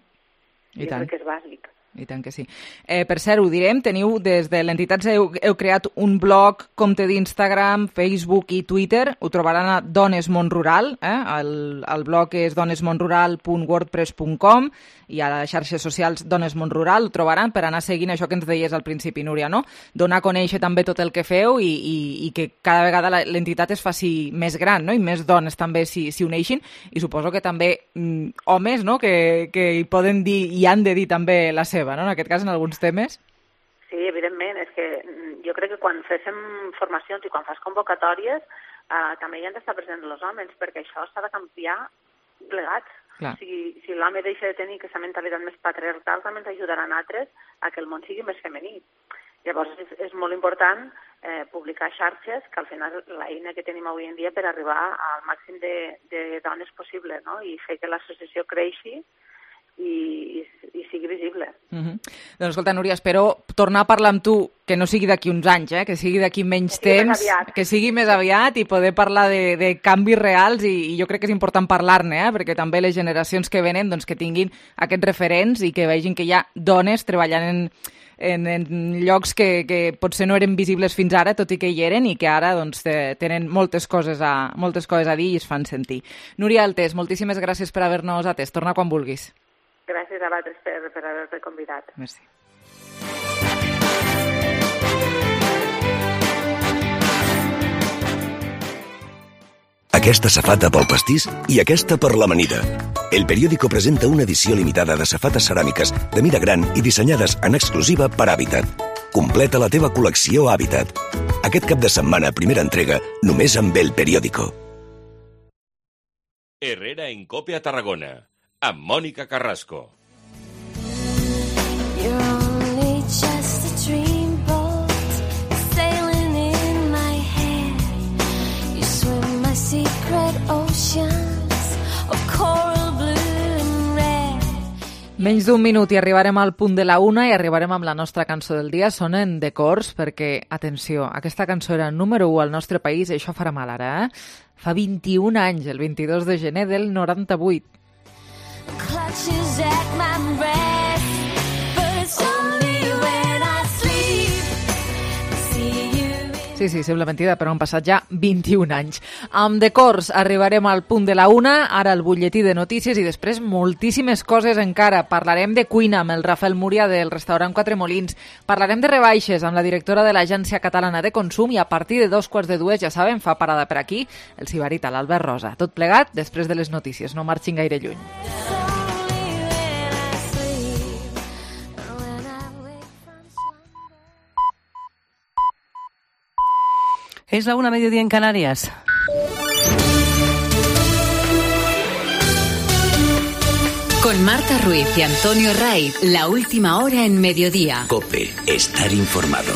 I, I tant. Crec que és bàsic. I tant que sí. Eh, per cert, ho direm, teniu des de l'entitat, heu, heu creat un blog, compte d'Instagram, Facebook i Twitter, ho trobaran a Dones Món Rural, eh? el, el blog és donesmonrural punt wordpress punt com i a les xarxes socials Dones Món Rural ho trobaran per anar seguint això que ens deies al principi, Núria, no? Donar a conèixer també tot el que feu i, i, i que cada vegada l'entitat es faci més gran, no?, i més dones també s'hi uneixin, i suposo que també mm, homes, no?, que, que hi poden dir i han de dir també la seva, no?, en aquest cas, en alguns temes. Sí, evidentment, és que jo crec que quan fem formacions i quan fas convocatòries eh, també hi han d'estar presents els homes, perquè això s'ha de canviar plegats. Clar. Si, si l'home deixa de tenir aquesta mentalitat més patriarcal, també ens ajudaran altres a que el món sigui més femení. Llavors és, és molt important eh, publicar xarxes, que al final és l'eina que tenim avui en dia per arribar al màxim de, de dones possible, no?, i fer que l'associació creixi i, i, i sigui visible. Uh-huh. Doncs escolta, Núria, espero tornar a parlar amb tu, que no sigui d'aquí uns anys, eh? que sigui d'aquí menys que temps, que sigui més aviat i poder parlar de, de canvis reals i, i jo crec que és important parlar-ne, eh? perquè també les generacions que venen doncs, que tinguin aquests referents i que vegin que hi ha dones treballant en, en, en llocs que, que potser no eren visibles fins ara, tot i que hi eren, i que ara doncs, tenen moltes coses, a, moltes coses a dir i es fan sentir. Núria Altés, moltíssimes gràcies per haver-nos atès. Torna quan vulguis. Gràcies a vosaltres per, per haver-te convidat. Merci. Aquesta safata pel pastís i aquesta per l'amanida. El periòdico presenta una edició limitada de safates ceràmiques de mida gran i dissenyades en exclusiva per Habitat. Completa la teva col·lecció Habitat. Aquest cap de setmana, primera entrega, només amb el periòdico. Herrera en Cope a Tarragona, amb Mònica Carrasco. Menys d'un minut i arribarem al punt de la una i arribarem amb la nostra cançó del dia. Sonen de cors perquè, atenció, aquesta cançó era número u al nostre país i això farà mal ara, eh? Fa vint-i-un anys, el vint-i-dos de gener del noranta-vuit. Sí, sí, sembla mentida, però han passat ja vint-i-un anys. Amb de cors arribarem al punt de la una, ara el butlletí de notícies i després moltíssimes coses encara. Parlarem de cuina amb el Rafael Múria del restaurant Quatre Molins. Parlarem de rebaixes amb la directora de l'Agència Catalana de Consum i a partir de dos quarts de dues, ja saben, fa parada per aquí el sibarita, l'Albert Rosa. Tot plegat després de les notícies, no marxin gaire lluny. Es la una, mediodía en Canarias. Con Marta Ruiz y Antonio Ray, la última hora en mediodía. COPE, estar informado.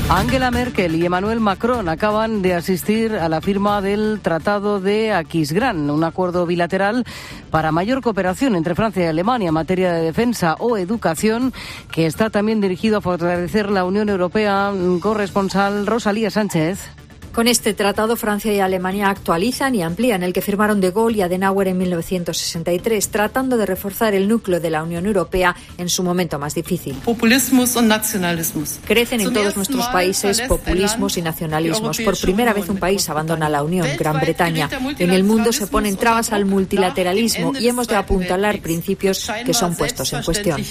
Angela Merkel y Emmanuel Macron acaban de asistir a la firma del Tratado de Aquisgrán, un acuerdo bilateral para mayor cooperación entre Francia y Alemania en materia de defensa o educación, que está también dirigido a fortalecer la Unión Europea. Corresponsal Rosalía Sánchez. Con este tratado, Francia y Alemania actualizan y amplían el que firmaron De Gaulle y Adenauer en mil novecientos sesenta y tres, tratando de reforzar el núcleo de la Unión Europea en su momento más difícil. Populismus y nacionalismus. Crecen en todos nuestros países populismos y nacionalismos. Por primera vez un país abandona la Unión, Gran Bretaña. En el mundo se ponen trabas al multilateralismo y hemos de apuntalar principios que son puestos en cuestión.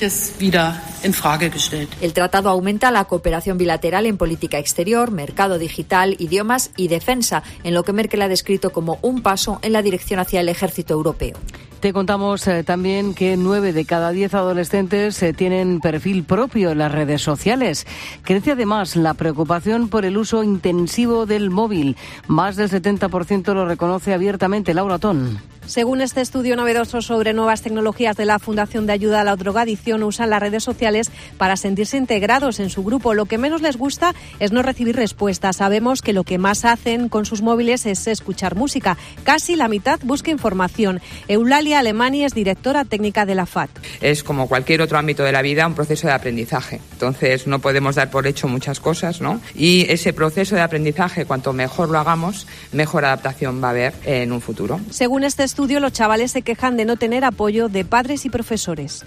El tratado aumenta la cooperación bilateral en política exterior, mercado digital, idiomas y defensa, en lo que Merkel ha descrito como un paso en la dirección hacia el ejército europeo. Te contamos eh, también que nueve de cada diez adolescentes eh, tienen perfil propio en las redes sociales. Crece además la preocupación por el uso intensivo del móvil. Más del setenta por ciento lo reconoce abiertamente. Laura Ton. Según este estudio novedoso sobre nuevas tecnologías de la Fundación de Ayuda a la Drogadicción, usan las redes sociales para sentirse integrados en su grupo. Lo que menos les gusta es no recibir respuestas. Sabemos que lo que más hacen con sus móviles es escuchar música. Casi la mitad busca información. Eulalia Alemani es directora técnica de la F A T. Es como cualquier otro ámbito de la vida, un proceso de aprendizaje. Entonces no podemos dar por hecho muchas cosas, ¿no? Y ese proceso de aprendizaje, cuanto mejor lo hagamos, mejor adaptación va a haber en un futuro. Según este estudio, los chavales se quejan de no tener apoyo de padres y profesores.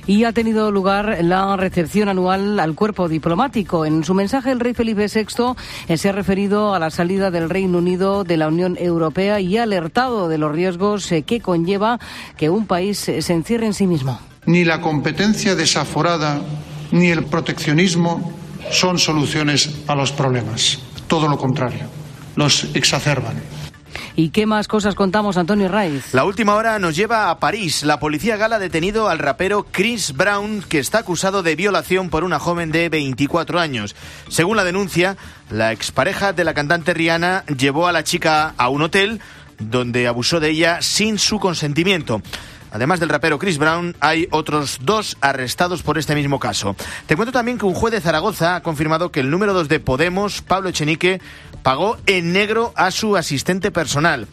Y ha tenido lugar la recepción anual al cuerpo diplomático. En su mensaje, el rey Felipe sexto se ha referido a la salida del Reino Unido de la Unión Europea y ha alertado de los riesgos que conlleva que un país se encierre en sí mismo. Ni la competencia desaforada ni el proteccionismo son soluciones a los problemas. Todo lo contrario, los exacerban. ¿Y qué más cosas contamos, Antonio Raiz? La última hora nos lleva a París. La policía gala ha detenido al rapero Chris Brown, que está acusado de violación por una joven de veinticuatro años. Según la denuncia, la expareja de la cantante Rihanna llevó a la chica a un hotel donde abusó de ella sin su consentimiento. Además del rapero Chris Brown, hay otros dos arrestados por este mismo caso. Te cuento también que un juez de Zaragoza ha confirmado que el número dos de Podemos, Pablo Echenique, pagó en negro a su asistente personal.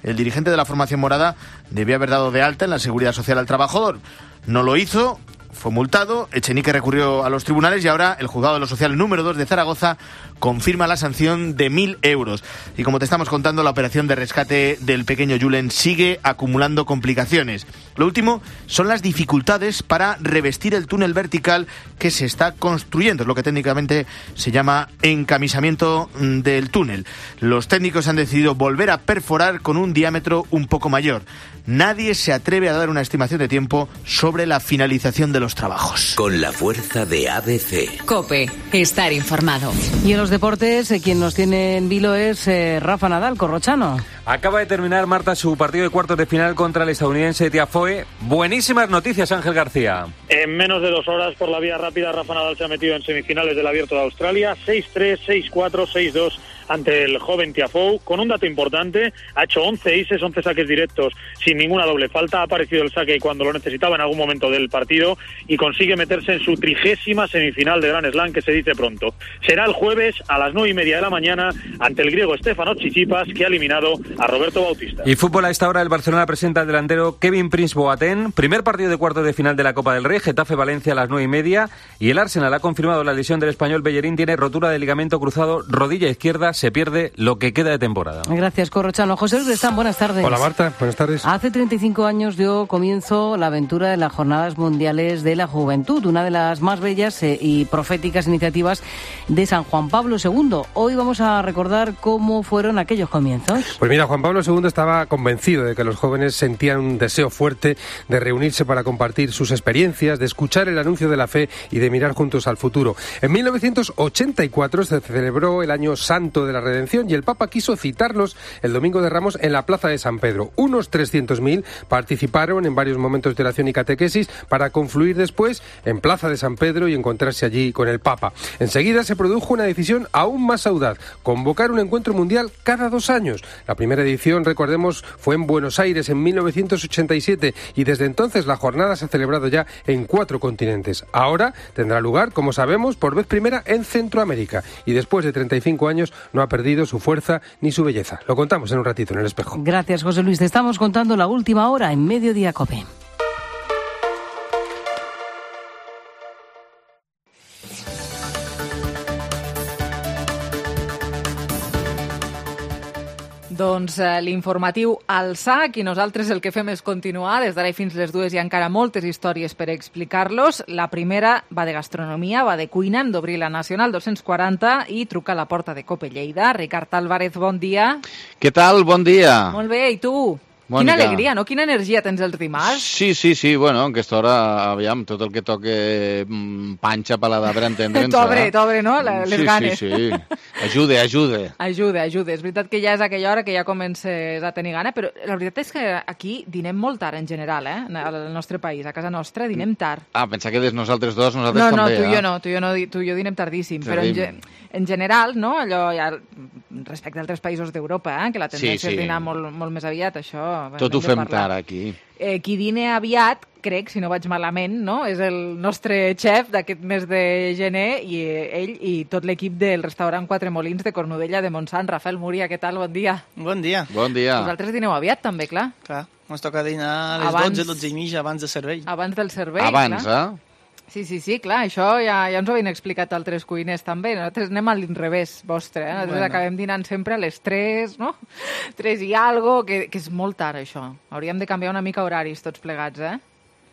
El dirigente de la formación morada debió haber dado de alta en la Seguridad Social al trabajador. No lo hizo, fue multado, Echenique recurrió a los tribunales y ahora el juzgado de lo social número dos de Zaragoza confirma la sanción de mil euros. Y como te estamos contando, la operación de rescate del pequeño Julen sigue acumulando complicaciones. Lo último son las dificultades para revestir el túnel vertical que se está construyendo, es lo que técnicamente se llama encamisamiento del túnel. Los técnicos han decidido volver a perforar con un diámetro un poco mayor. Nadie se atreve a dar una estimación de tiempo sobre la finalización de los trabajos. Con la fuerza de A B C. COPE, estar informado. Y en los deportes, eh, quien nos tiene en vilo es eh, Rafa Nadal, corrochano. Acaba de terminar, Marta, su partido de cuartos de final contra el estadounidense Tiafoe. Buenísimas noticias, Ángel García. En menos de dos horas, por la vía rápida, Rafa Nadal se ha metido en semifinales del Abierto de Australia. seis tres, seis cuatro, seis dos ante el joven Tiafoe. Con un dato importante, ha hecho once aces, once saques directos sin ninguna doble falta. Ha aparecido el saque cuando lo necesitaba en algún momento del partido y consigue meterse en su trigésima semifinal de Grand Slam, que se dice pronto. Será el jueves a las nueve y media de la mañana ante el griego Stefanos Tsitsipas, que ha eliminado a Roberto Bautista. Y fútbol, a esta hora el Barcelona presenta al delantero Kevin Prince Boateng. Primer partido de cuartos de final de la Copa del Rey, Getafe-Valencia a las nueve y media. Y el Arsenal ha confirmado la lesión del español Bellerín. Tiene rotura de ligamento cruzado, rodilla izquierda. Se pierde lo que queda de temporada. Gracias, corrochano. José Luis Lestán, buenas tardes. Hola, Marta, buenas tardes. Hace treinta y cinco años dio comienzo la aventura de las Jornadas Mundiales de la Juventud, una de las más bellas eh, y proféticas iniciativas de San Juan Pablo segundo. Hoy vamos a recordar cómo fueron aquellos comienzos. Pues mira, Juan Pablo segundo estaba convencido de que los jóvenes sentían un deseo fuerte de reunirse para compartir sus experiencias, de escuchar el anuncio de la fe y de mirar juntos al futuro. En mil novecientos ochenta y cuatro se celebró el Año Santo Cristo de la Redención y el Papa quiso citarlos el Domingo de Ramos en la Plaza de San Pedro. Unos trescientos mil participaron en varios momentos de oración y catequesis para confluir después en Plaza de San Pedro y encontrarse allí con el Papa. Enseguida se produjo una decisión aún más audaz, convocar un encuentro mundial cada dos años. La primera edición, recordemos, fue en Buenos Aires en mil novecientos ochenta y siete y desde entonces la jornada se ha celebrado ya en cuatro continentes. Ahora tendrá lugar, como sabemos, por vez primera en Centroamérica y después de treinta y cinco años no ha perdido su fuerza ni su belleza. Lo contamos en un ratito en El Espejo. Gracias, José Luis. Te estamos contando la última hora en Mediodía COPE. Doncs eh, l'informatiu al sac i nosaltres el que fem és continuar. Des d'ara i fins les dues hi ha encara moltes històries per explicar-los. La primera va de gastronomia, va de cuina. Hem d'obrir la Nacional dos-cents quaranta i truca a la porta de COPE Lleida. Ricard Álvarez, bon dia. Què tal? Bon dia. Molt bé, i tu? Mònica. Quina alegria, no? Quina energia tens els dimarts? Sí, sí, sí, bueno, en aquesta hora, aviam, tot el que toque mmm, panxa, paladar, per entendre'ns. T'obre, t'obre, no? La, les sí, ganes. Sí, sí, sí. Ajude, ajude. Ajude, ajude. És veritat que ja és aquella hora que ja comences a tenir gana, però la veritat és que aquí dinem molt tard en general, eh? Al nostre país, a casa nostra, dinem tard. Ah, pensa que des nosaltres dos, nosaltres no, també. No, tu i eh? jo no, tu i jo, no, tu i jo dinem tardíssim, Tenim. però en, ge, en general, no? Allò ja, respecte a altres països d'Europa, eh? Que la tendència sí, sí. és dinar molt, molt més aviat, això... Tot ho fem tard aquí. Eh, qui dina aviat, crec, si no vaig malament, no? És el nostre xef d'aquest mes de gener i ell i tot l'equip del restaurant Quatre Molins de Cornudella de Montsant. Rafael Múria, què tal? Bon dia. Bon dia. Bon dia. Vosaltres dineu aviat, també, clar. Clar, ens toca dinar a les abans, dotze, dotze i mitja, abans de servei. Abans del servei, Abans, clar. eh? Sí, sí, sí, clar, això ja, ja ens ho havien explicat altres cuiners també. Nosaltres anem a l'inrevés vostre, eh? Nosaltres bueno. acabem dinant sempre a les tres, no? tres i algo, que, que és molt tard, això. Hauríem de canviar una mica horaris tots plegats, eh?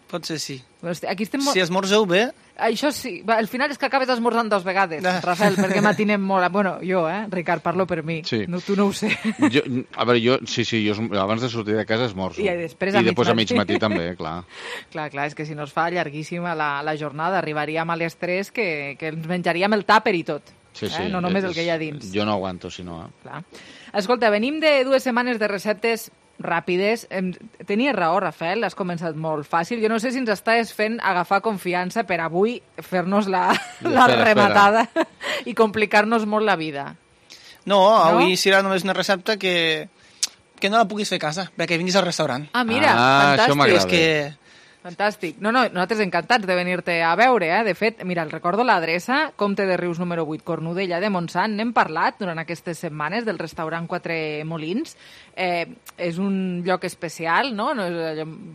Potser sí. Aquí estem molt... Si esmorzeu bé... Això sí. Va, al final és que acabes esmorzant dos vegades, ah. Rafael, perquè matinem molt... Bueno, jo, eh? Ricard, parlo per mi. Sí. No, tu no ho sé. Jo, a veure, jo... Sí, sí, jo abans de sortir de casa esmorzo. I després a, I mig, després matí. a mig matí també, clar. Clar, clar, és que si no es fa llarguíssima la, la jornada, arribaríem a les tres que, que ens menjaríem el tàper i tot. Sí, sí. Eh? No només és, el que hi ha dins. Jo no aguanto, si no... Eh? Clar. Escolta, venim de dues setmanes de receptes ràpides. Tenies raó, Rafael, has començat molt fàcil. Jo no sé si ens estàs fent agafar confiança per avui fer-nos la, la espera, rematada espera. I complicar-nos molt la vida. No, avui no? serà només una recepta que, que no la puguis fer a casa, perquè vinguis al restaurant. Ah, mira, ah, fantàstic. Això m'agrada. És que... Fantàstic. No, no, nosaltres encantats de venir-te a veure, eh? De fet, mira, el recordo l'adreça, Comte de Rius número vuit, Cornudella de Montsant. N'hem parlat durant aquestes setmanes del restaurant Quatre Molins. Eh, és un lloc especial, no?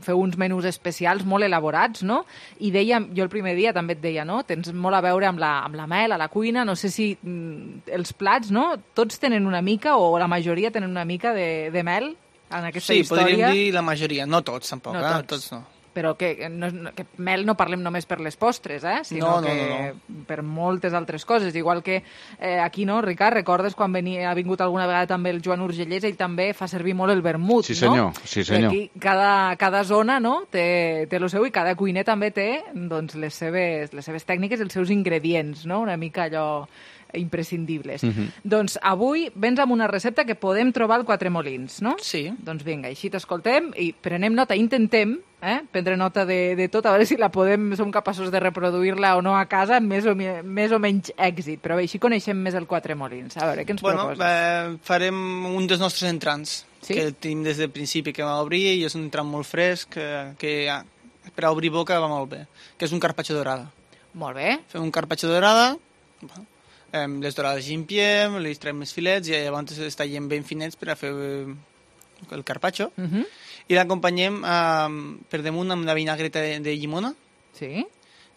Feu uns menús especials molt elaborats, no? I dèiem, jo el primer dia també et deia, no? Tens molt a veure amb la, amb la mel, a la cuina, no sé si mm, els plats, no? Tots tenen una mica, o la majoria tenen una mica de, de mel en aquesta sí, història. Sí, podríem dir la majoria, no tots tampoc, no eh? tots. tots no. Però que, no, que mel no parlem només per les postres, eh? Sinó no, no, que no, no. per moltes altres coses. Igual que eh, aquí, no, Ricard, recordes quan venia, ha vingut alguna vegada també el Joan Urgellès, ell també fa servir molt el vermut, sí, senyor. no? Sí, senyor. I aquí cada, cada zona, no?, té, té el seu, i cada cuiner també té doncs, les, seves, les seves tècniques, els seus ingredients, no?, una mica allò imprescindibles. Uh-huh. Doncs avui vens amb una recepta que podem trobar al Quatre Molins, no? Sí. Doncs vinga, així t'escoltem i prenem nota, intentem eh, prendre nota de, de tot, a veure si la podem, som capaços de reproduir-la o no a casa amb més o, més o menys èxit. Però bé, així coneixem més el Quatre Molins. A veure, què ens bueno, proposes? Eh, farem un dels nostres entrants, sí? que tenim des del principi que va obrir, i és un entrant molt fresc, que, que ja, per a obrir boca va molt bé, que és un carpaccio dorada. Molt bé. Fem un carpaccio dorada, eh, les dorades gimpiem, li traiem els filets i llavors es tallem ben finets per a fer el carpaccio. Uh-huh. I l'acompanyem eh, per damunt amb una vinagreta de, de llimona. Sí.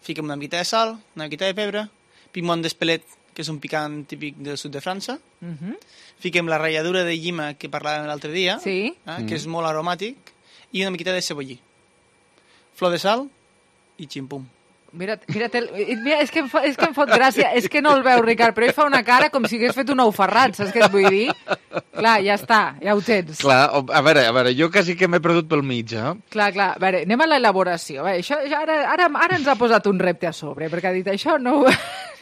Fiquem una miqueta de sal, una miqueta de pebre, piment d'espelet, que és un picant típic del sud de França. Uh-huh. Fiquem la ratlladura de llima que parlàvem l'altre dia, sí. eh, que és molt aromàtic, i una miqueta de cebollí. Flor de sal i ximpum. Mira, mira, mira és, que em fa, és que em fot gràcia, és que no el veu, Ricard, però ell fa una cara com si hagués fet un ou ferrat, saps què et vull dir? Clar, ja està, ja ho tens. Clar, a veure, a veure, jo quasi que m'he perdut pel mig, eh? Clar, clar, a veure, anem a l'elaboració. Això, ara, ara, ara ens ha posat un repte a sobre, perquè ha dit, això no,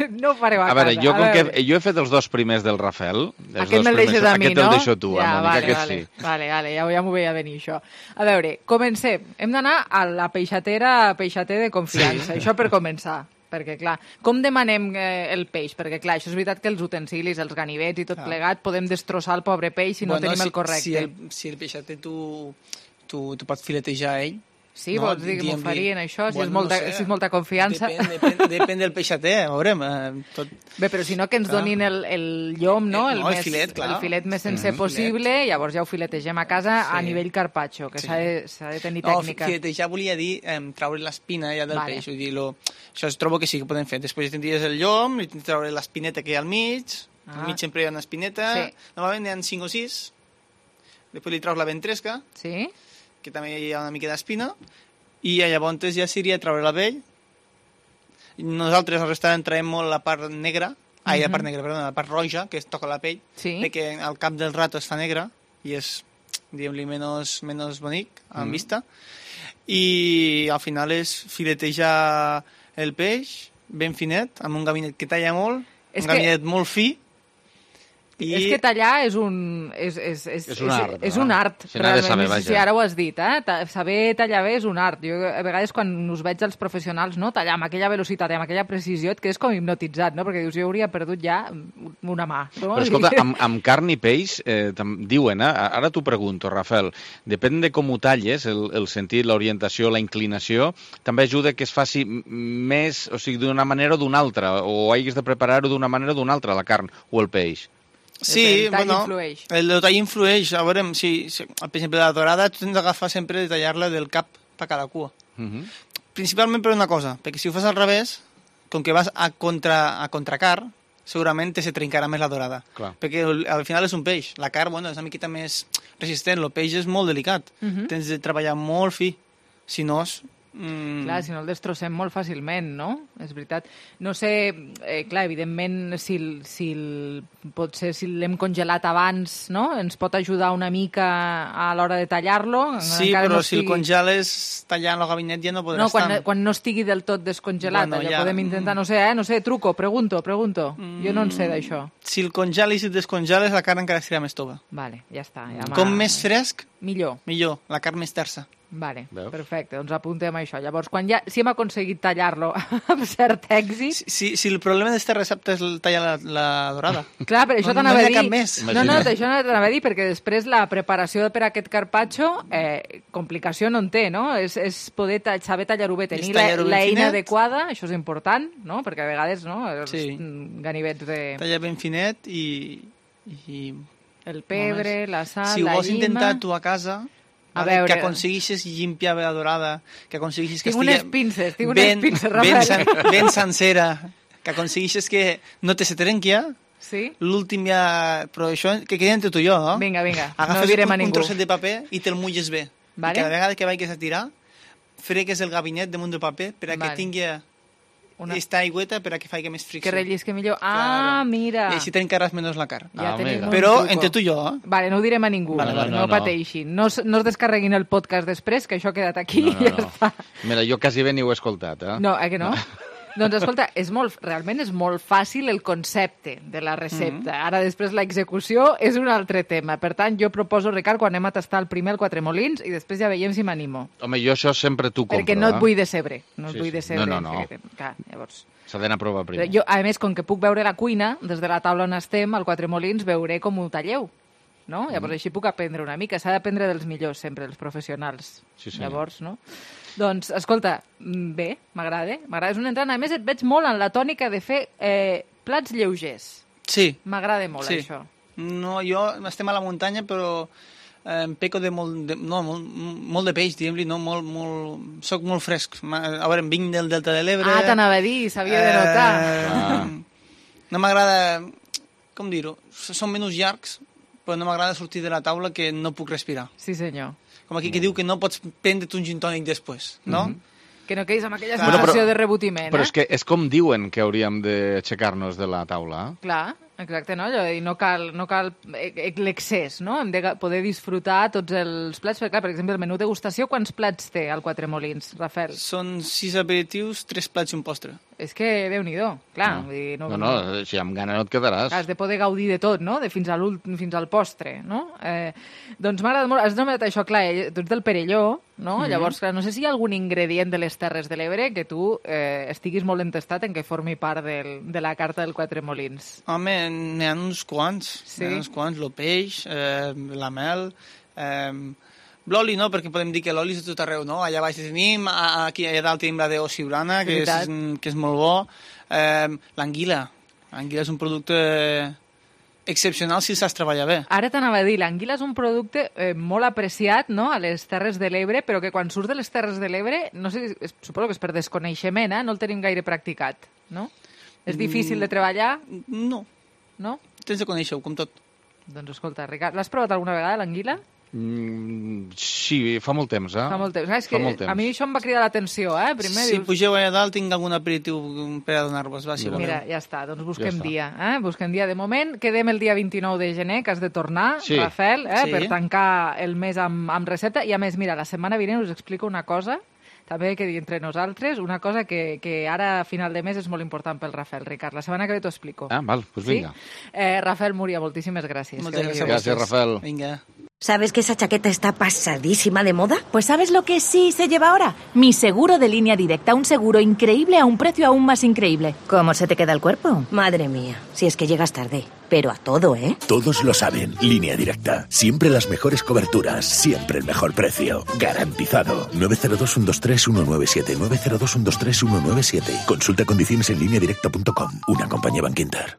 no ho fareu a, a veure, casa. Jo, a com veure. que jo he fet els dos primers del Rafael. Els Aquest dos me'l deixes primers, a mi, aquest no? el deixo tu, ja, Mònica, vale, aquest vale, sí. Vale, vale, ja, ja m'ho veia venir, això. A veure, comencem. Hem d'anar a la peixatera, peixater de confiança. Sí. Això per començar. Perquè, clar, com demanem eh, el peix? Perquè, clar, això és veritat que els utensilis, els ganivets i tot clar. plegat, podem destrossar el pobre peix si no bueno, tenim si, el correcte. Si el, si el peixater tu, tu, tu pots filetejar a ell. Sí, no? vols dir que m'ho farien, això? Si, Bueno, és molta, no sé. si és molta confiança. Depèn, depèn, depèn del peixater, veurem. Eh, tot... Bé, però si no que ens Clar. donin el, el llom, no? El- no, el més, filet, clar. el filet més sencer Mhm. possible, llavors ja ho filetegem a casa Sí. a nivell carpaccio, que Sí. s'ha de, s'ha de tenir No, tècnica. filetejar volia dir eh, treure l'espina ja del Vale. peix. Vull dir, lo, això es trobo que sí que podem fer. Després tindries el llom, i tindries treure l'espineta que hi ha al mig. Ah. Al mig sempre hi ha una espineta. Sí. Normalment n'hi ha cinc o sis. Després li treus la ventresca, sí. que també hi ha una mica d'espina. I llavors ja seria treure la pell. Nosaltres al restaurant traiem molt la part negra, mm-hmm. ai, la part negra, perdona, la part roja, que es toca la pell, sí. perquè al cap del rato es fa negra i és, diguem-li, menys, menys bonic en Mm. vista. I al final és filetejar el peix ben finet, amb un gabinet que talla molt, És un que- gabinet molt fi. I... És que tallar és un... És, és, és, És un art, És, és no? un art, Se n'ha de realment. saber, Sí, sí, vaja. ara ho has dit, eh? Ta- Saber tallar bé és un art. Jo a vegades quan us veig als professionals, no? Tallar amb aquella velocitat i amb aquella precisió, et quedes com hipnotitzat, no? Perquè dius, jo hauria perdut ja una mà. No? Però escolta, amb, amb carn i peix, eh, tam- diuen, eh? Ara t'ho pregunto, Rafael, depèn de com ho talles, el, el sentit, l'orientació, la inclinació, també ajuda que es faci m- més, o sigui, d'una manera o d'una altra, o haguis de preparar-ho d'una manera o d'una altra, la carn o el peix. Sí, El tall bueno, influeix. el tall influeix. A veure, si, si, per exemple, la dorada tu tens d'agafar sempre de tallar-la del cap per cada cua. Uh -huh. Principalment per una cosa, perquè si ho fas al revés, com que vas a, contra, a contracar, segurament te se trencarà més la dorada. Clar. Perquè al, al final és un peix. La carn, bueno, és una miqueta més resistent. El peix és molt delicat. Uh -huh. Tens de treballar molt fi. Si no, és... Mm, Clar, si no el destrossem molt fàcilment, no? És veritat. No sé, eh, clar, evidentment, si, el- si el, potser si l'hem congelat abans, no? Ens pot ajudar una mica a l'hora de tallar-lo. sí, encara però no si el congeles tallant el gabinet ja no podràs No, quan, estar. quan no estigui del tot descongelat, Bueno, allò ja- podem intentar, no sé, eh? No sé, truco, pregunto, pregunto. Jo no en sé d'això. Si el congelis i el descongeles, la carn encara estarà més tova. Vale, ja està. Ja m'ha- Com més fresc, millor. millor. La carn més tersa. Vale, Veus? perfecte, doncs apuntem això. Llavors, quan ja, si hem aconseguit tallar-lo amb cert èxit... Si, si, si el problema d'esta recepta és el tallar la, la dorada. Clar, però això no, t'anava no a hi ha dir... cap més. No, no, això no t'anava a dir, perquè després la preparació per a aquest carpaccio, eh, complicació no en té, no? És, és poder ta saber tallar-ho bé, tenir És la- tallar-ho ben l'eina finet. adequada, això és important, no? Perquè a vegades, no?, els Sí. mm, ganivets de... Tallar ben finet i... i... El pebre, la sal, si ho la vols llima... intentar tu a casa, A vale, veure. que aconsegueixes llimpiar bé la dorada, que aconsegueixes que Tinc estigui unes pinces, tinc ben, unes pinces, ben, Rafael. sen, ben sencera, que aconsegueixes que no te se trenqui, ja. Sí? L'últim ja... Però això que quedi entre tu i jo, no? Vinga, vinga, Agafes no direm un, a un ningú. trosset de paper i te'l mulles bé. Vale. I cada vegada que vagis a tirar, fregues el gabinet damunt del paper per a que Vale. tingui Una- esta aigüeta per a que faci més fricció. Que rellisqui millor. Ah, Claro. mira. I així t'encarres menys la carn. Ja Ah, tenim mira. un Però truco. entre tu i jo, eh? Vale, no ho direm a ningú, Vale, vale, no, no, no. pateixin. No, es- no es descarreguin el podcast després, que això ha quedat aquí No, i no, ja no. està. Mira, jo quasi bé ni ho he escoltat, eh? No, eh que no? Doncs escolta, és molt, realment és molt fàcil el concepte de la recepta. Mm-hmm. Ara després l'execució és un altre tema. Per tant, jo proposo, Ricard, quan anem a tastar el primer el Quatre Molins i després ja veiem si m'animo. Home, jo això sempre t'ho compro, Perquè no et eh? vull decebre. No et Sí, vull sí. decebre. No, no, no. Perquè, clar, llavors... S'ha d'anar a provar primer. Jo, a més, com que puc veure la cuina, des de la taula on estem, al Quatre Molins, veuré com ho talleu. No? Llavors així puc aprendre una mica. S'ha d'aprendre dels millors, sempre, els professionals. Sí, senyor. Llavors, no? Doncs, escolta, mm, bé, m'agrada. M'agrada, és un entrant. A més, et veig molt en la tònica de fer eh, plats lleugers. Sí. M'agrada molt, Sí. això. No, jo estem a la muntanya, però eh, em peco de molt de, no, molt, molt de peix, diguem-li, no? Molt, molt, soc molt fresc. Ma- A veure, em vinc del Delta de l'Ebre... Ah, t'anava a dir, s'havia de notar. Eh, no m'agrada, com dir-ho, són menús llargs, però no m'agrada sortir de la taula que no puc respirar. Sí, senyor. Com aquí que diu que no pots prendre't un gin tònic després, no? Mhm. Que no quedis amb aquella Bueno, sensació però- de rebotiment, Però eh? és que és com diuen que hauríem d'aixecar-nos de la taula. Eh? Clar, Exacte, no? I no cal, no cal l'excés, no? Hem de poder disfrutar tots els plats, perquè, clar, per exemple, el menú degustació, quants plats té el Quatre Molins, Rafael? Són sis aperitius, tres plats i un postre. És que, Déu-n'hi-do, clar. No, vull dir, no, no, no, si amb gana no et quedaràs. Has de poder gaudir de tot, no? De fins, a fins al postre, no? Eh, doncs m'ha agradat molt, has nomenat això, clar, tu ets del Perelló, no? Mm-hmm. Llavors, clar, no sé si hi ha algun ingredient de les Terres de l'Ebre que tu eh, estiguis molt entestat en que formi part del, de la carta del Quatre Molins. Home, n'hi ha uns quants, sí. N'hi ha uns quants, el peix, eh, la mel, eh, l'oli no, perquè podem dir que l'oli és de tot arreu, no? Allà baix tenim, aquí allà dalt tenim la de Osibrana, que és, que és molt bo, eh, l'anguila, l'anguila és un producte excepcional si saps treballar bé. Ara t'anava a dir, l'anguila és un producte eh, molt apreciat, no?, a les Terres de l'Ebre, però que quan surt de les Terres de l'Ebre, no sé, suposo que és per desconeixement, eh? No el tenim gaire practicat, no? És difícil de treballar? No. No? Tens de conèixer-ho, com tot. Doncs escolta, Ricard, l'has provat alguna vegada, l'anguila? Mm, sí, fa molt temps, eh? Fa molt temps. Ah, és que temps. A mi això em va cridar l'atenció, eh? Primer si dius... pugeu allà dalt, tinc algun aperitiu per a donar-vos, va, si voleu. Mira, ja està, doncs busquem ja dia, eh? Busquem dia. De moment, quedem el dia vint-i-nou de gener, que has de tornar, sí. Rafael, eh? Sí. Per tancar el mes amb, amb recepta. I a més, mira, la setmana vinent us explico una cosa, també que dir entre nosaltres, una cosa que, que ara a final de mes és molt important pel Rafael, Ricard. La setmana que ve t'ho explico. Ah, val, doncs vinga. Sí? Eh, Rafael Múria, moltíssimes gràcies. Moltes gràcies. Gràcies, Rafael. Vinga. ¿Sabes que esa chaqueta está pasadísima de moda? Pues ¿sabes lo que sí se lleva ahora? Mi seguro de línea directa, un seguro increíble a un precio aún más increíble. ¿Cómo se te queda el cuerpo? Madre mía, si es que llegas tarde. Pero a todo, ¿eh? Todos lo saben. Línea Directa. Siempre las mejores coberturas. Siempre el mejor precio. Garantizado. nueve cero dos, uno dos tres, uno nueve siete. nueve cero dos, uno dos tres, uno nueve siete. Consulta condiciones en línea directa punto com. Una compañía Bankinter.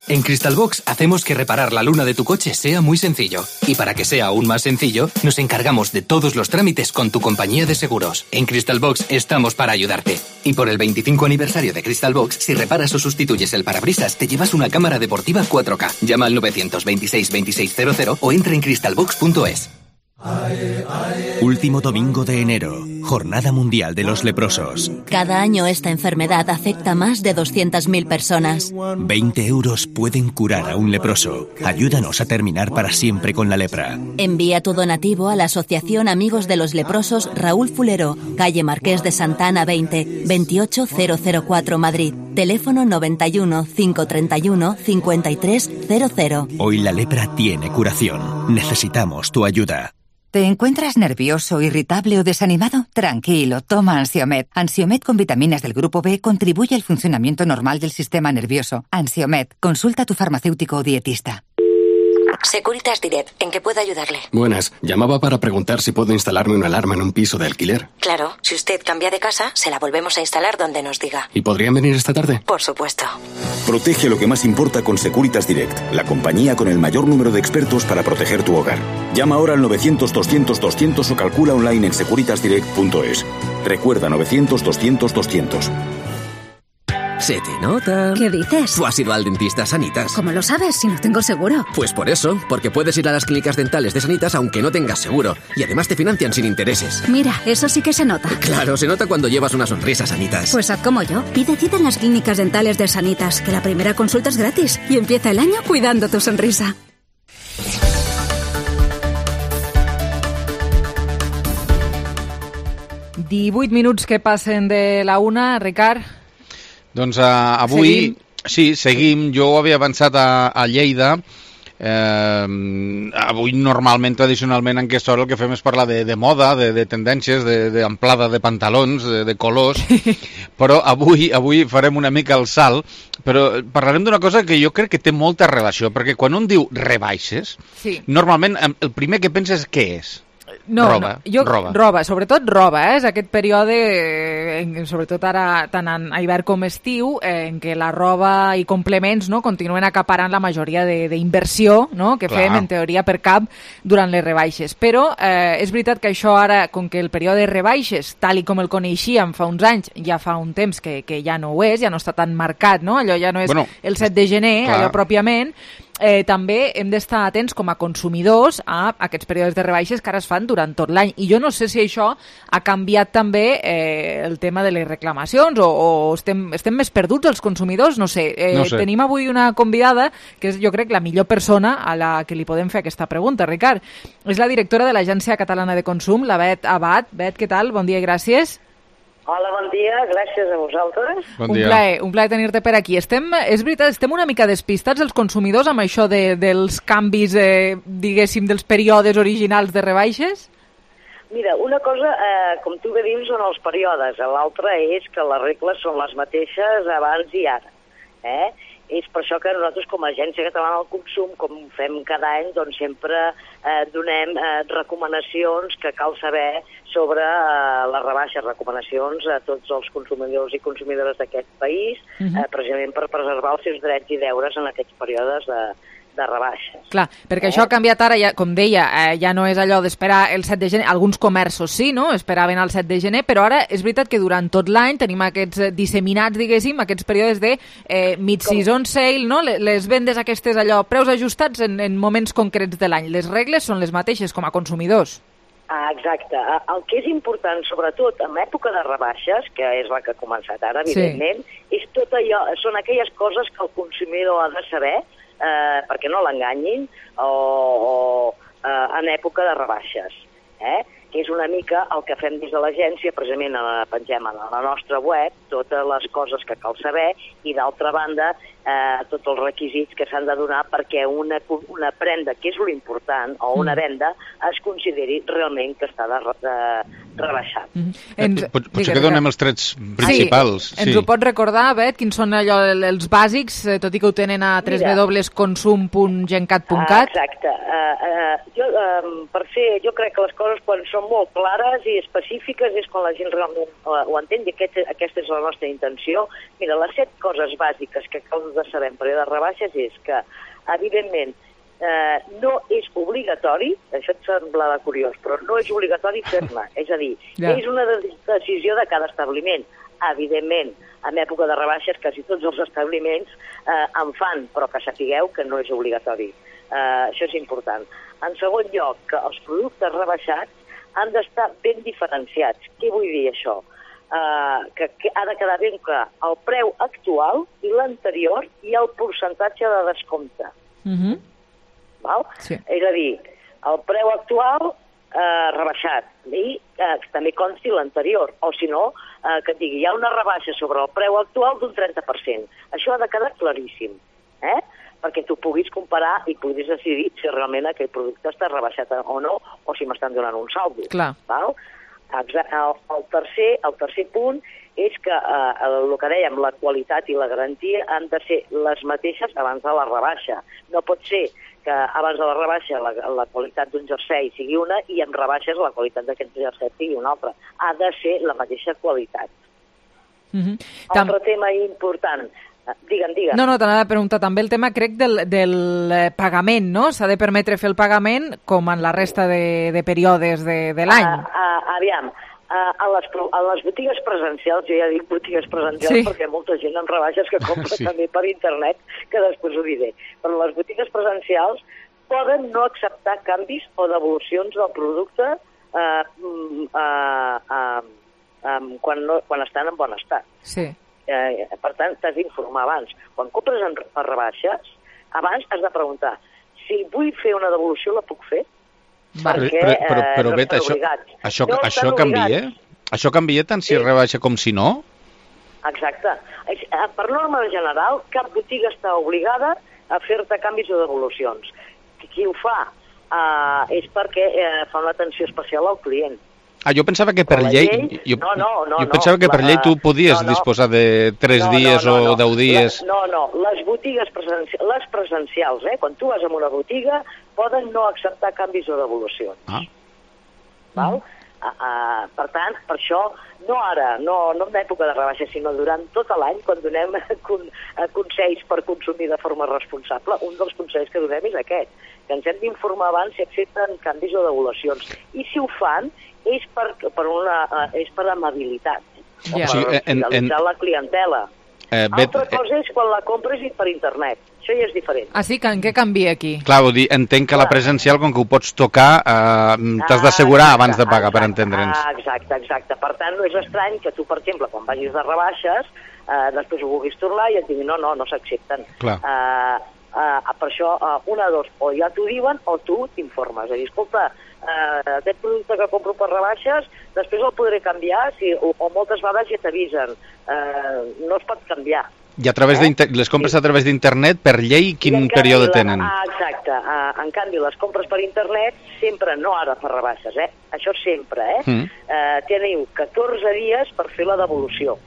En Crystalbox hacemos que reparar la luna de tu coche sea muy sencillo. Y para que sea aún más sencillo, nos encargamos de todos los trámites con tu compañía de seguros. En Crystalbox estamos para ayudarte. Y por el veinticinco aniversario de Crystalbox, si reparas o sustituyes el parabrisas, te llevas una cámara deportiva cuatro K. Llama al nueve dos seis, veintiséis cero cero o entra en crystalbox punto es. Último domingo de enero, Jornada Mundial de los Leprosos. Cada año esta enfermedad afecta a más de doscientas mil personas. veinte euros pueden curar a un leproso. Ayúdanos a terminar para siempre con la lepra. Envía tu donativo a la Asociación Amigos de los Leprosos Raúl Fulero, calle Marqués de Santa Ana veinte, veintiocho mil cuatro Madrid. Teléfono noventa y uno, quinientos treinta y uno, cincuenta y tres cero cero. Hoy la lepra tiene curación. Necesitamos tu ayuda. ¿Te encuentras nervioso, irritable o desanimado? Tranquilo, toma Ansiomed. Ansiomed con vitaminas del grupo B contribuye al funcionamiento normal del sistema nervioso. Ansiomed, consulta a tu farmacéutico o dietista. Securitas Direct, ¿en qué puedo ayudarle? Buenas, llamaba para preguntar si puedo instalarme una alarma en un piso de alquiler. Claro, si usted cambia de casa, se la volvemos a instalar donde nos diga. ¿Y podrían venir esta tarde? Por supuesto. Protege lo que más importa con Securitas Direct, la compañía con el mayor número de expertos para proteger tu hogar. Llama ahora al novecientos, doscientos, doscientos o calcula online en securitas direct punto es. Recuerda novecientos, doscientos, doscientos. Se te nota. ¿Qué dices? Tú has ido al dentista Sanitas. ¿Cómo lo sabes si no tengo seguro? Pues por eso, porque puedes ir a las clínicas dentales de Sanitas aunque no tengas seguro. Y además te financian sin intereses. Mira, eso sí que se nota. Claro, se nota cuando llevas una sonrisa, Sanitas. Pues haz como yo. Pide cita en las clínicas dentales de Sanitas, que la primera consulta es gratis. Y empieza el año cuidando tu sonrisa. divuit minuts que passen de la una, Ricard. Doncs uh, avui, seguim. sí, seguim. Jo ho havia avançat a, a Lleida. Eh, avui normalment, tradicionalment, en aquesta hora el que fem és parlar de, de moda, de, de tendències, d'amplada de, de pantalons, de, de colors, però avui, avui farem una mica el salt, però parlarem d'una cosa que jo crec que té molta relació, perquè quan un diu rebaixes, sí. normalment el primer que penses què és? No, roba, no, jo, roba. roba, sobretot roba, eh? És aquest període, eh, sobretot ara tant a hivern com estiu, eh, en què la roba i complements, no, continuen acaparant la majoria d'inversió, no, que Clar. fem en teoria per cap durant les rebaixes. Però eh, és veritat que això ara, com que el període de rebaixes, tal i com el coneixíem fa uns anys, ja fa un temps que, que ja no ho és, ja no està tan marcat, no? Allò ja no és bueno, el set de gener, clar. allò pròpiament, eh, també hem d'estar atents com a consumidors a aquests períodes de rebaixes que ara es fan durant tot l'any. I jo no sé si això ha canviat també eh, el tema de les reclamacions o, o estem, estem més perduts els consumidors, no sé. Eh, no sé. Tenim avui una convidada que és, jo crec, la millor persona a la que li podem fer aquesta pregunta, Ricard. És la directora de l'Agència Catalana de Consum, la Bet Abad. Bet, què tal? Bon dia i gràcies. Hola, bon dia, gràcies a vosaltres. Bon un dia. plaer, un plaer tenir-te per aquí. Estem, és veritat, estem una mica despistats els consumidors amb això de, dels canvis, eh, diguéssim, dels períodes originals de rebaixes? Mira, una cosa, eh, com tu bé dius, són els períodes. L'altra és que les regles són les mateixes abans i ara. Eh? És per això que nosaltres, com a Agència Catalana del Consum, com fem cada any, doncs sempre eh, donem eh, recomanacions que cal saber sobre eh, les rebaixes, recomanacions a tots els consumidors i consumidores d'aquest país, uh-huh. eh, precisament per preservar els seus drets i deures en aquests períodes de, de rebaixes. Clar, perquè eh? això ha canviat ara, ja, com deia, eh, ja no és allò d'esperar el set de gener, alguns comerços sí, no?, esperaven el set de gener, però ara és veritat que durant tot l'any tenim aquests disseminats, diguéssim, aquests períodes de eh, mid-season sale, no?, les vendes aquestes allò, preus ajustats en, en moments concrets de l'any. Les regles són les mateixes com a consumidors. Ah, exacte. El que és important, sobretot en època de rebaixes, que és la que ha començat ara, evidentment, sí. és tot allò, són aquelles coses que el consumidor ha de saber, eh, perquè no l'enganyin, o, o eh, en època de rebaixes. Eh? Que és una mica el que fem des de l'agència, precisament la pengem a la nostra web, totes les coses que cal saber, i d'altra banda, eh, tots els requisits que s'han de donar perquè una, una prenda, que és l'important, o una venda, es consideri realment que està de, de, rebaixat. Mm -hmm. Ens, Pot, potser que donem els trets principals. Sí, ens sí. ho pots recordar, Bet, quins són allò, els bàsics, tot i que ho tenen a w w w punt consum punt gencat punt cat? Ah, exacte. Uh, uh, jo, uh, per fer, jo crec que les coses quan són molt clares i específiques és quan la gent realment uh, ho entén, i aquest, aquesta és la nostra intenció. Mira, les set coses bàsiques que cal de saber en període de rebaixes és que, evidentment, eh, no és obligatori, això et semblava curiós, però no és obligatori fer-ne. És a dir, ja. és una decisió de cada establiment. Evidentment, en època de rebaixes, quasi tots els establiments eh, en fan, però que sapigueu que no és obligatori. Eh, això és important. En segon lloc, que els productes rebaixats han d'estar ben diferenciats. Què vull dir això? Uh, que, que ha de quedar ben clar el preu actual i l'anterior i el percentatge de descompte. Uh-huh. Val? Sí. És a dir, el preu actual uh, rebaixat i uh, també consti l'anterior, o si no, uh, que et digui, hi ha una rebaixa sobre el preu actual d'un trenta per cent. Això ha de quedar claríssim, eh? perquè tu puguis comparar i puguis decidir si realment aquell producte està rebaixat o no, o si m'estan donant un saldo. Clar. Val? El, el, tercer, el tercer punt és que eh, el que dèiem, la qualitat i la garantia han de ser les mateixes abans de la rebaixa. No pot ser que abans de la rebaixa la, la qualitat d'un jersei sigui una i amb rebaixes la qualitat d'aquest jersei sigui una altra. Ha de ser la mateixa qualitat. Mm-hmm. Tam... Altre tema important. Digue'm, digue'm. No, no, t'anava a preguntar també el tema, crec, del, del pagament, no? S'ha de permetre fer el pagament com en la resta de, de períodes de, de l'any. Uh, uh, aviam, uh, a, les, a les botigues presencials, jo ja dic botigues presencials sí. perquè hi ha molta gent amb rebaixes que compra sí. també per internet, que després ho diré. Però les botigues presencials poden no acceptar canvis o devolucions del producte uh, uh, uh, um, quan, no, quan estan en bon estat. Sí. Eh, per tant, t'has d'informar abans. Quan compres en, per rebaixes, abans has de preguntar si vull fer una devolució, la puc fer? Vale. Perquè però, però, però, eh, no Bet, això, això, no això canvia? Això canvia tant si sí. rebaixa com si no? Exacte. Per norma general, cap botiga està obligada a fer-te canvis o devolucions. Qui ho fa eh, és perquè eh, fa una atenció especial al client. Ah, jo pensava que per llei... llei jo, no, no, no, jo pensava que per la, llei tu podies no, no, disposar de tres no, dies no, no, o no. deu dies... La, no, no, les botigues presencials, les presencials, eh, quan tu vas a una botiga, poden no acceptar canvis o devolucions. Ah. Val? Mm. Uh, uh, per tant, per això, no ara, no, no en època de rebaixa, sinó durant tot l'any, quan donem con, consells per consumir de forma responsable, un dels consells que donem és aquest, que ens hem d'informar abans si accepten canvis o devolucions. I si ho fan, és per, per, una, uh, és per amabilitat, yeah. o per sí, en, fidelitzar en... la clientela. Eh, bet... Altra cosa és quan la compres per internet. Això ja és diferent. Ah, sí? Que en què canvia aquí? Clar, vull dir, entenc que la presencial, com que ho pots tocar, eh, t'has d'assegurar abans de pagar, per entendre'ns. Ah, exacte, exacte. Per tant, no és estrany que tu, per exemple, quan vagis de rebaixes, eh, després ho vulguis tornar i et diguin no, no, no s'accepten. Clar. Eh, eh, per això, eh, una, dos, o ja t'ho diuen o tu t'informes. És a dir, escolta, eh, aquest producte que compro per rebaixes, després el podré canviar, si, o, o moltes vegades ja t'avisen. Eh, no es pot canviar. I a través eh? les compres sí. a través d'internet, per llei, quin període tenen? Ah, exacte. Uh, en canvi, les compres per internet, sempre, no ara per rebaixes, eh? Això sempre, eh? Mm. Uh, teniu catorze dies per fer la devolució.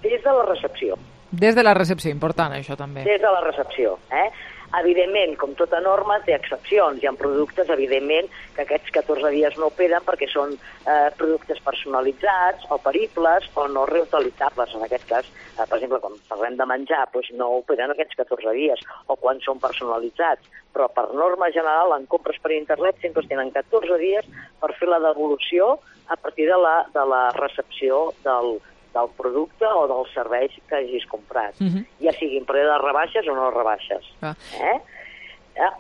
Des de la recepció. Des de la recepció, important, això també. Des de la recepció, eh? Evidentment, com tota norma, té excepcions. Hi ha productes, evidentment, que aquests catorze dies no operen perquè són eh, productes personalitzats o peribles o no reutilitzables. En aquest cas, eh, per exemple, quan parlem de menjar, doncs no operen aquests catorze dies, o quan són personalitzats. Però per norma general, en compres per internet, sempre es tenen catorze dies per fer la devolució a partir de la, de la recepció del del producte o dels serveis que hagis comprat, uh-huh. ja siguin per de rebaixes o no rebaixes. Uh. Eh?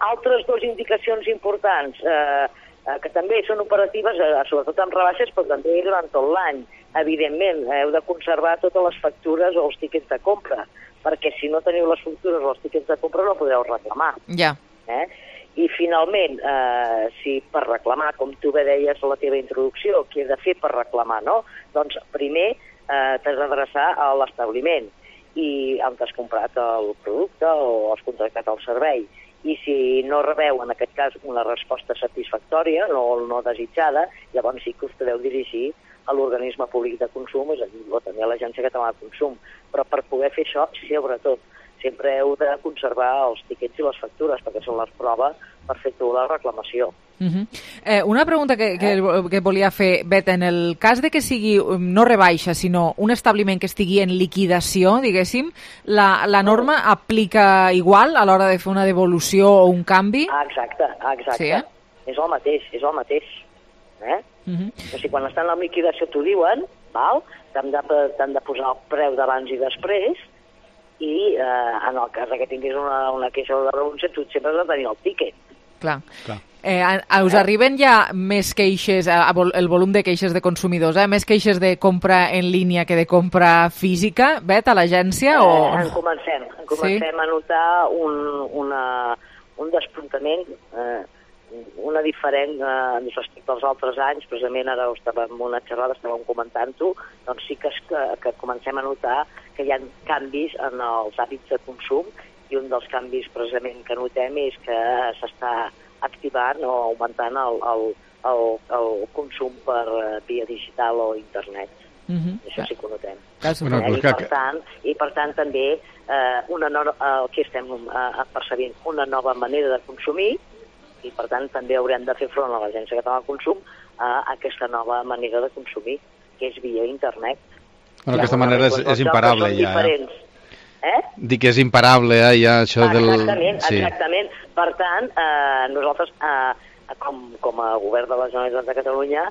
Altres dues indicacions importants, eh, eh, que també són operatives, eh, sobretot amb rebaixes, però també durant tot l'any. Evidentment, heu de conservar totes les factures o els tíquets de compra, perquè si no teniu les factures o els tíquets de compra no podeu reclamar. Ja. Eh? I finalment, eh, si per reclamar, com tu bé deies a la teva introducció, què he de fer per reclamar, no? Doncs primer, Eh, t'has d'adreçar a l'establiment i on t'has comprat el producte o has contractat el servei. I si no rebeu, en aquest cas, una resposta satisfactòria, no, no desitjada, llavors sí que us podeu dirigir a l'organisme públic de consum, és a dir, o també a l'Agència Catalana de Consum. Però per poder fer això, sobretot, sempre heu de conservar els tiquets i les factures, perquè són les proves per fer tu la reclamació. Uh-huh. eh, una pregunta que, que, que volia fer, Bet, en el cas de que sigui no rebaixa, sinó un establiment que estigui en liquidació, diguéssim, la, la norma uh-huh. aplica igual a l'hora de fer una devolució o un canvi? Ah, exacte, exacte. Sí, eh? És el mateix, és el mateix. Eh? Uh-huh. O sigui, quan estan en liquidació t'ho diuen, val? T'han de, t'han de posar el preu d'abans i després, i eh, en el cas que tinguis una, una queixa de renúncia, tu sempre has de tenir el tíquet. Clar. Clar. Eh, us arriben ja més queixes, el volum de queixes de consumidors, eh? més queixes de compra en línia que de compra física, Bet, a l'agència? Eh, o... En comencem, en comencem sí? a notar un, una, un despuntament, eh, una diferent eh, respecte als altres anys. Precisament ara estàvem en una xerrada, estàvem comentant-ho, doncs sí que, es, que, que comencem a notar que hi ha canvis en els hàbits de consum, i un dels canvis precisament que notem és que s'està activant o augmentant el, el, el, el consum per via digital o internet. Uh-huh. Això sí que ho notem. Bueno, eh? I, per tant, I per tant també eh, una no, el que estem eh, percebint una nova manera de consumir, i per tant també haurem de fer front a l'Agència Catalana de Consum a aquesta nova manera de consumir, que és via internet. Bueno, aquesta manera és, és imparable ja. Diferents. Eh? Dic que és imparable, eh, ja, això del... Exactament, sí. exactament. Per tant, eh, nosaltres, eh, com, com a govern de la Generalitat de Catalunya,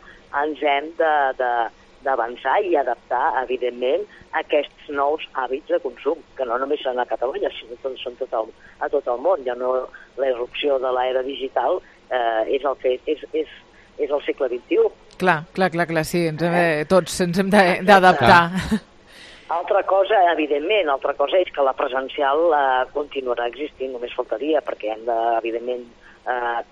ens hem d'avançar i adaptar, evidentment, aquests nous hàbits de consum, que no només són a Catalunya, sinó que són tot el, a tot el món. Ja no, la irrupció de l'era digital eh, és, el que, és, és, és el segle vint-i-u. Clar, clar, clar, clar sí, ens hem, eh? tots ens hem d'adaptar. Altra cosa, evidentment, altra cosa és que la presencial eh, continuarà existint, només faltaria, perquè hem de, evidentment, eh,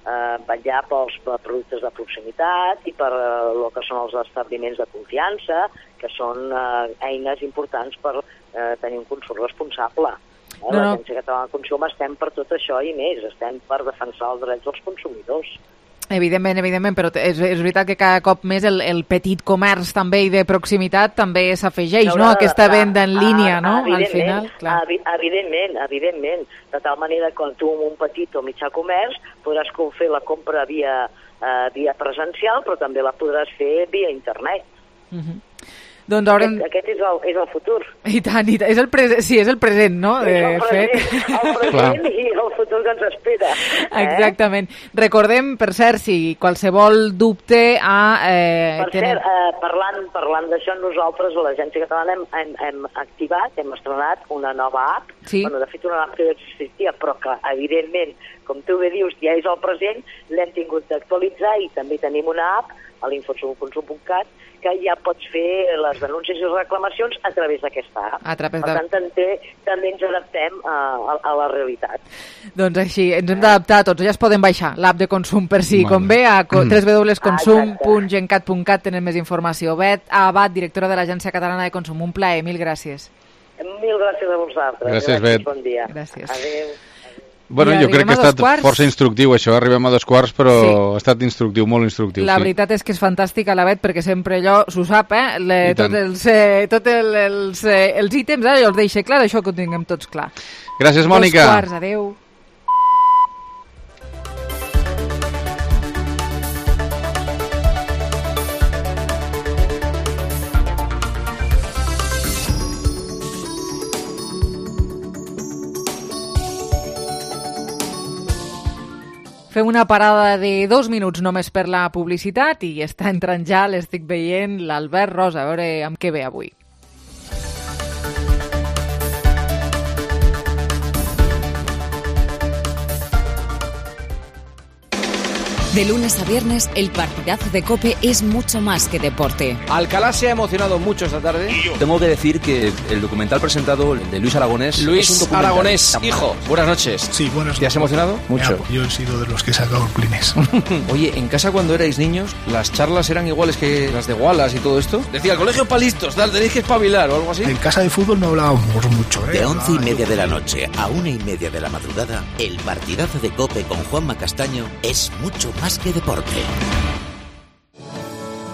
eh, vetllar pels productes de proximitat i per eh, el que són els establiments de confiança, que són eh, eines importants per eh, tenir un consum responsable. Eh? No, no. L'Agència Catalana de Consum estem per tot això i més, estem per defensar els drets dels consumidors. Evidentment, evidentment, però és, és veritat que cada cop més el, el petit comerç també i de proximitat també s'afegeix, no? Aquesta venda en línia, no? Al final, clar. Evidentment, evidentment. De tal manera que tu amb un petit o mitjà comerç podràs fer la compra via, uh, via presencial, però també la podràs fer via internet. Uh-huh. Doncs haurem... Aquest, aquest és, el, és el futur. I tant, i tant. És el present, sí, és el present, no? És el De present, fet. el present i el futur que ens espera. Eh? Exactament. Recordem, per cert, si qualsevol dubte a... Eh, per tenen... cert, eh, parlant, parlant d'això, nosaltres a l'Agència Catalana hem, hem, hem activat, hem estrenat una nova app. Sí. Bueno, de fet, una app que ja existia, però que, evidentment, com tu bé dius, ja és el present, l'hem tingut d'actualitzar i també tenim una app a l'infoconsum punt cat que ja pots fer les denúncies i reclamacions a través d'aquesta app. A través per de... tant, també, també ens adaptem a, a, a la realitat. Doncs així, ens hem d'adaptar tots. Ja es poden baixar l'app de Consum per si Bueno. convé. A w w w punt consum punt Ah, gencat punt cat tenen més informació. Bet Abad, directora de l'Agència Catalana de Consum. Un plaer, mil gràcies. Mil gràcies a vosaltres. Gràcies, Bet. Bon dia. Gràcies. Adéu. Bueno, I jo crec que ha arribem a dos estat quarts. força instructiu, això. Arribem a dos quarts, però Sí. ha estat instructiu, molt instructiu. La sí. veritat és que és fantàstica la Bet, perquè sempre allò s'ho sap, eh? Le, I tant. tot els, eh, tot el, els, eh, els ítems, eh? Els deixa clar, això que ho tinguem tots clar. Gràcies, Mònica. Dos quarts, adeu. Fem una parada de dos minuts només per la publicitat i està entrant ja, l'estic veient, l'Albert Rosa, a veure amb què ve avui. De lunes a viernes, el partidazo de COPE es mucho más que deporte. Alcalá se ha emocionado mucho esta tarde. Tengo que decir que el documental presentado de Luis Aragonés... Luis es un documental. Aragonés, hijo, buenas noches. Sí, buenas noches. ¿Te has emocionado? Mucho. Ya, yo he sido de los que he sacado el Kleenex. Oye, en casa cuando erais niños, ¿las charlas eran iguales que las de Wallace y todo esto? Decía, el colegio para listos, tal, tenéis que espabilar o algo así. En casa de fútbol no hablábamos mucho, ¿eh? De once y media de la noche a una y media de la madrugada, el partidazo de COPE con Juanma Castaño es mucho más que deporte.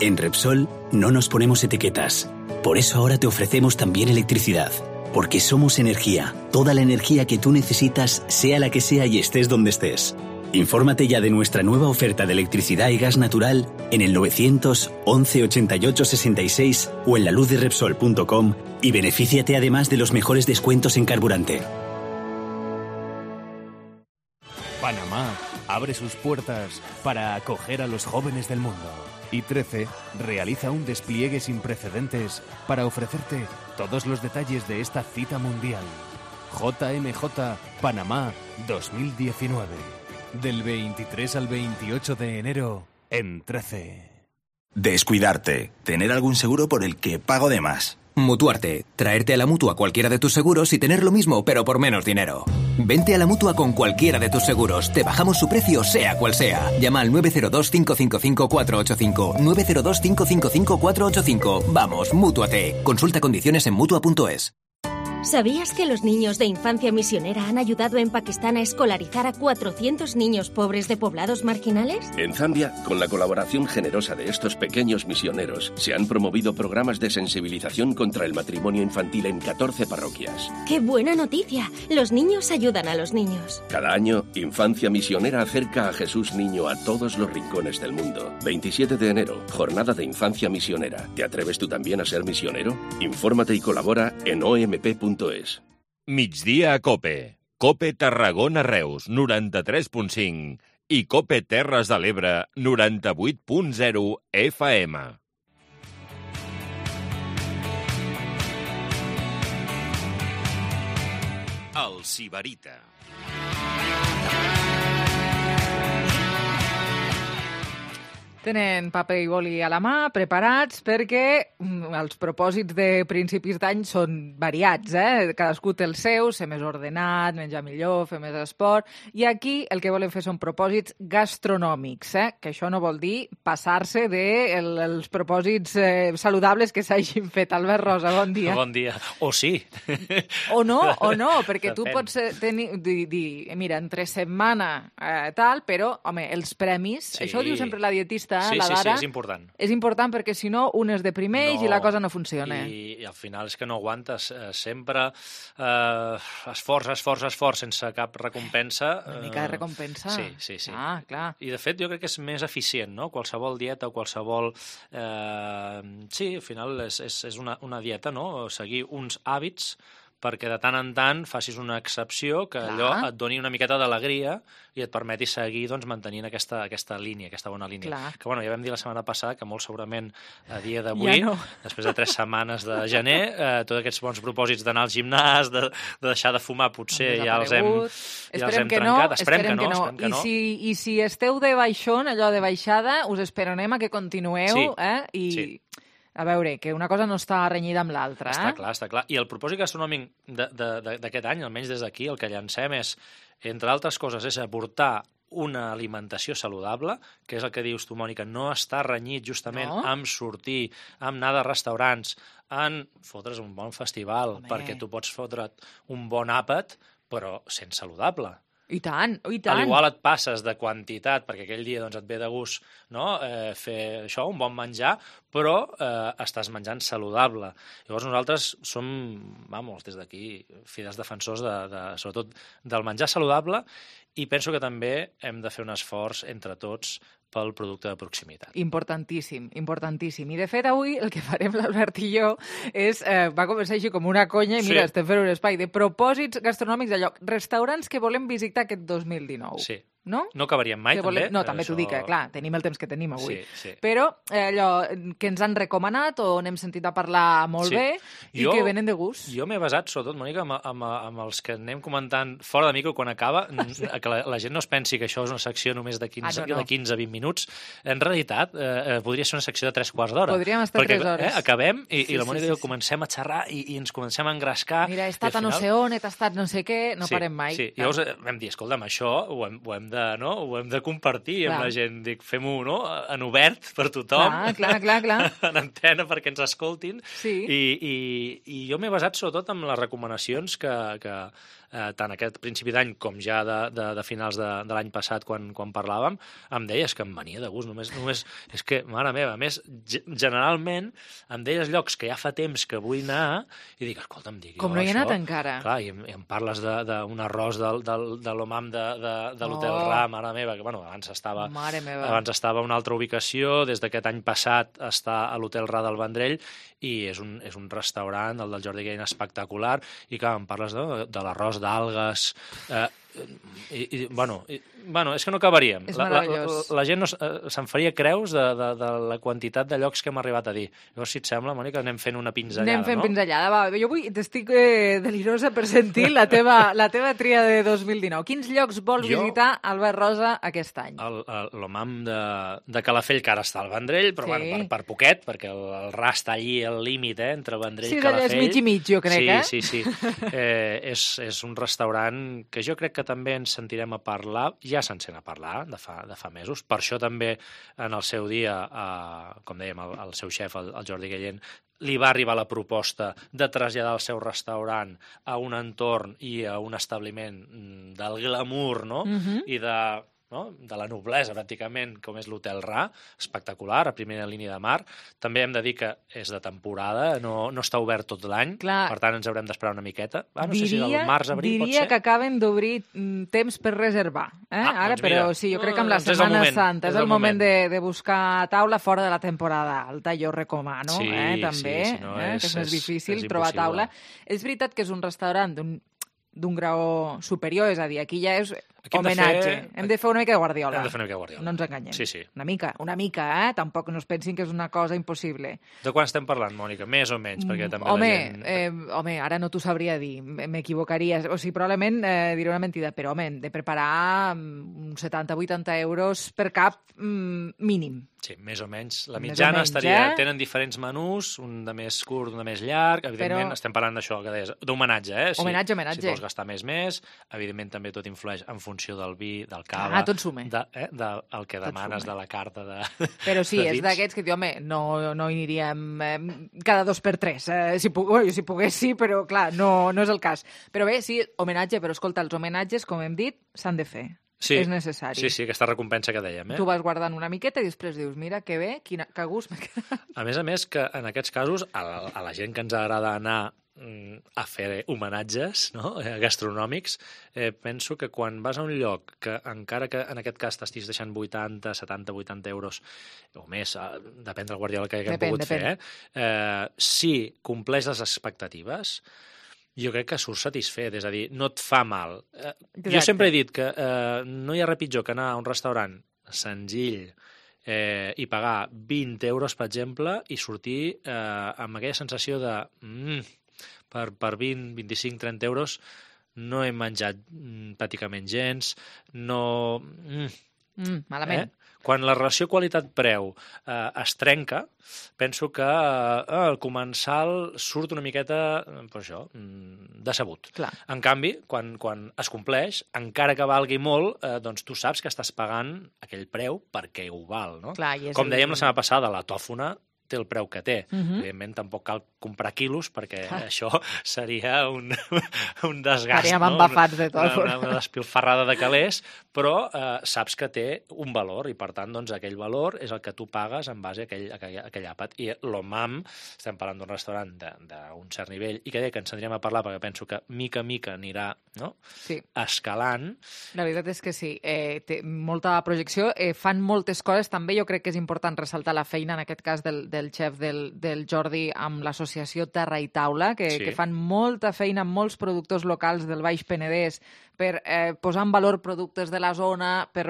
En Repsol no nos ponemos etiquetas. Por eso ahora te ofrecemos también electricidad. Porque somos energía. Toda la energía que tú necesitas, sea la que sea y estés donde estés. Infórmate ya de nuestra nueva oferta de electricidad y gas natural en el novecientos once ochenta y ocho sesenta y seis o en la luz de repsol punto com y benefíciate además de los mejores descuentos en carburante. Panamá abre sus puertas para acoger a los jóvenes del mundo. Y trece realiza un despliegue sin precedentes para ofrecerte todos los detalles de esta cita mundial. J M J Panamá dos mil diecinueve. Del veintitrés al veintiocho de enero en trece. Descuidarte. Tener algún seguro por el que pago de más. Mutuarte. Traerte a la Mutua cualquiera de tus seguros y tener lo mismo, pero por menos dinero. Vente a la Mutua con cualquiera de tus seguros. Te bajamos su precio, sea cual sea. Llama al nueve cero dos, cinco cinco cinco, cuatro ocho cinco. nueve cero dos, cinco cinco cinco, cuatro ocho cinco. Vamos, Mútuate. Consulta condiciones en mutua punto es. ¿Sabías que los niños de Infancia Misionera han ayudado en Pakistán a escolarizar a cuatrocientos niños pobres de poblados marginales? En Zambia, con la colaboración generosa de estos pequeños misioneros, se han promovido programas de sensibilización contra el matrimonio infantil en catorce parroquias. ¡Qué buena noticia! Los niños ayudan a los niños. Cada año, Infancia Misionera acerca a Jesús Niño a todos los rincones del mundo. veintisiete de enero, Jornada de Infancia Misionera. ¿Te atreves tú también a ser misionero? Infórmate y colabora en o m p punto es. Migdia a COPE. COPE Tarragona Reus, noranta-tres punt cinc. I COPE Terres de l'Ebre, noranta-vuit punt zero F M. El Sibarita. Tenen paper i boli a la mà, preparats, perquè mm, els propòsits de principis d'any són variats, eh? Cadascú té el seu, ser més ordenat, menjar millor, fer més esport, i aquí el que volen fer són propòsits gastronòmics, eh? Que això no vol dir passar-se dels de el, els propòsits eh, saludables que s'hagin fet. Albert Rosa, bon dia. Bon dia. O sí. O no, o no, perquè tu Depèn. pots eh, tenir, dir, dir, mira, entre setmana eh, tal, però, home, els premis, Sí. això ho diu sempre la dietista data, sí, la sí, vara... Sí, és important. És important perquè, si no, un es deprimeix No, i la cosa no funciona. I, i al final és que no aguantes. Eh, sempre eh, esforç, esforç, esforç, sense cap recompensa. Una mica de recompensa. Sí, sí, sí. Ah, clar. I, de fet, jo crec que és més eficient, no? Qualsevol dieta o qualsevol... Eh, sí, al final és, és, és una, una dieta, no? Seguir uns hàbits perquè de tant en tant facis una excepció que Clar. allò et doni una miqueta d'alegria i et permeti seguir doncs, mantenint aquesta, aquesta línia, aquesta bona línia. Clar. Que bueno, ja vam dir la setmana passada que molt segurament a dia d'avui, ja no. després de tres setmanes de gener, eh, tots aquests bons propòsits d'anar al gimnàs, de, de deixar de fumar, potser ja els hem, ja els hem que trencat. No, esperem, esperem que no, que no. esperem que I no. Si, I si esteu de baixón, allò de baixada, us esperonem a que continueu, Sí. eh? I... Sí. A veure, que una cosa no està renyida amb l'altra, eh? Està clar, està clar. I el propòsit gastronòmic d'aquest any, almenys des d'aquí, el que llancem és, entre altres coses, és aportar una alimentació saludable, que és el que dius tu, Mònica, no està renyit justament No? amb sortir, amb anar de restaurants, en fotre's un bon festival, Home. perquè tu pots fotre't un bon àpat, però sent saludable. I tant, i A tant. l'igual et passes de quantitat, perquè aquell dia doncs, et ve de gust, no? eh, fer això, un bon menjar, però eh, estàs menjant saludable. Llavors nosaltres som, vamos, des d'aquí, fidels defensors, de, de, sobretot, del menjar saludable, i penso que també hem de fer un esforç entre tots pel producte de proximitat. Importantíssim, importantíssim. I, de fet, avui el que farem l'Albert i jo és... Eh, va començar així com una conya i, Sí. mira, estem fent un espai de propòsits gastronòmics de lloc. Restaurants que volem visitar aquest dos mil dinou. Sí. No? No acabaríem mai, Que també. volem... No, també Això- t'ho dic, eh? Clar, tenim el temps que tenim avui. Sí, sí. Però eh, allò que ens han recomanat o n'hem sentit a parlar molt Sí. bé i Jo- que venen de gust. Jo m'he basat, sobretot, Mònica, amb, amb, amb els que anem comentant fora de micro quan acaba, n- que la, la gent no es pensi que això és una secció només de quinze, Ah, no, no. de quinze a vint minuts. En realitat, eh, eh, podria ser una secció de tres quarts d'hora. Podríem estar perquè, tres hores. Eh, acabem i, Sí, i la sí, Mònica sí, i jo comencem a xerrar i, i ens comencem a engrescar. Mira, he i estat al a no final- sé on, he tastat no sé què, no sí, parem mai. Sí, llavors eh, vam dir, escolta'm, això ho hem, ho hem, de, no? ho hem de compartir Clar. amb la gent. Dic, fem-ho no? en obert per tothom. Clar, clar, clar, clar. en antena perquè ens escoltin. Sí. I, i, i jo m'he basat sobretot en les recomanacions que, que eh, tant aquest principi d'any com ja de, de, de finals de, de l'any passat quan, quan parlàvem, em deies que em venia de gust. Només, només, és que, mare meva, a més, ge- generalment em deies llocs que ja fa temps que vull anar i dic, escolta'm, dic, Com jo no hi he això... anat encara. Clar, i, em- i em parles d'un arròs del, del, de l'Omam de, de, de l'Hotel Oh. Ra, mare meva, que bueno, abans estava, Mare meva. abans estava a una altra ubicació, des d'aquest any passat està a l'Hotel Ra del Vendrell i és un, és un restaurant, el del Jordi Guillén, espectacular, i clar, em parles de, de l'arròs d'algues, eh, i, i, bueno, i, bueno, és que no acabaríem. És La, la, la, meravellós. la gent no, s- eh, se'n faria creus de, de, de la quantitat de llocs que hem arribat a dir. Llavors, si et sembla, Mònica, anem fent una pinzellada, Anem fent no? pinzellada. Va, jo vull, t'estic eh, delirosa per sentir la teva, la teva tria de dos mil dinou. Quins llocs vol Jo- visitar Albert Rosa aquest any? El- el- L'Omam de, de Calafell, que ara està al Vendrell, però Sí. bueno, per, per poquet, perquè el, el Ra està allí al límit, eh, entre Vendrell Sí, i és allà, Calafell. és mig i mig, jo crec, sí, eh? Sí, sí, eh, és, és un restaurant que jo crec que també ens sentirem a parlar, ja se'n sent a parlar de fa, de fa mesos. Per això també en el seu dia, eh, com dèiem, el, el seu xef, el, el Jordi Guillén, li va arribar la proposta de traslladar el seu restaurant a un entorn i a un establiment mm, del glamour, no? Mhm. I de, no? de la noblesa, pràcticament, com és l'Hotel Ra, espectacular, a primera línia de mar. També hem de dir que és de temporada, no, no està obert tot l'any, Clar. per tant ens haurem d'esperar una miqueta. Ah, no sé si diria del març a abril pot diria ser. que acaben d'obrir mm, temps per reservar. Eh? Ah, Ara, doncs però mira. sí, jo crec que amb la Doncs és el Setmana moment, Santa és, és el el moment, moment. de, de buscar taula fora de la temporada alta, jo recomano, Sí, eh, també, sí, si no eh, és- que és més és- difícil és trobar impossible. taula. És veritat que és un restaurant d'un d'un grau superior, és a dir, aquí ja és Aquí hem de homenatge. fer- Hem de fer una mica de Guardiola. Hem de fer una mica de Guardiola. No ens enganyem. Sí, sí. Una mica, una mica, eh? Tampoc no es pensin que és una cosa impossible. De quan estem parlant, Mònica? Més o menys? Perquè també Home, la gent... eh, home, ara no t'ho sabria dir, m- m'equivocaria. O sigui, probablement eh, diré una mentida, però, home, hem de preparar mm, uns setanta a vuitanta euros per cap mm, mínim. Sí, més o menys. La Més o mitjana menys, estaria... eh? Tenen diferents menús, un de més curt, un de més llarg. Evidentment, Però- estem parlant d'això, que deies, d'homenatge, eh? Si, Homenatge, homenatge. Si vols gastar més, més. Evidentment, també tot influeix en funció del vi, del cava... Ah, tot suma. De, eh, de, el que Tot demanes suma. de la carta de Però sí, de és vins. d'aquests que, diu, home, no, no hi aniríem eh, cada dos per tres. Eh, si, pu bueno, si pogués, sí, però, clar, no, no és el cas. Però bé, sí, homenatge, però escolta, els homenatges, com hem dit, s'han de fer. sí, és necessari. Sí, sí, aquesta recompensa que dèiem. Eh? Tu vas guardant una miqueta i després dius, mira, que bé, quina, que gust m'ha quedat. A més a més, que en aquests casos, a la, a la gent que ens agrada anar a fer homenatges, no? Gastronòmics, eh, penso que quan vas a un lloc que encara que en aquest cas t'estiguis deixant vuitanta, setanta, vuitanta euros o més, eh, depèn del guardiola que haguem pogut fer, eh? Eh, si compleix les expectatives, jo crec que surt satisfet, és a dir, no et fa mal. Eh, jo sempre he dit que eh, no hi ha res pitjor que anar a un restaurant senzill eh, i pagar vint euros, per exemple, i sortir eh, amb aquella sensació de mm, per, per vint, vint-i-cinc, trenta euros no he menjat mm, pràcticament gens, no... Mm, mm, malament. Eh? Quan la relació qualitat-preu eh, es trenca, penso que eh, el comensal surt una miqueta, pues això, decebut. Clar. En canvi, quan, quan es compleix, encara que valgui molt, eh, doncs tu saps que estàs pagant aquell preu perquè ho val, no? Clar, i és com dèiem el... la setmana passada, la tòfona té el preu que té. Uh-huh. Evidentment, tampoc cal comprar quilos, perquè ah. això seria un, un desgast. Estaríem no? embafats de tot. Una, una despilfarrada de calés, però eh, saps que té un valor, i per tant, doncs, aquell valor és el que tu pagues en base a aquell, a aquell, a aquell àpat. I l'Omam, estem parlant d'un restaurant d'un cert nivell, i que deia que ens anirem a parlar, perquè penso que mica a mica anirà no? sí. escalant. La veritat és que sí, eh, té molta projecció, eh, fan moltes coses, també jo crec que és important ressaltar la feina, en aquest cas, del, del xef del, del Jordi amb l'associació Terra i Taula, que, sí. que fan molta feina amb molts productors locals del Baix Penedès per eh, posar en valor productes de la zona, per,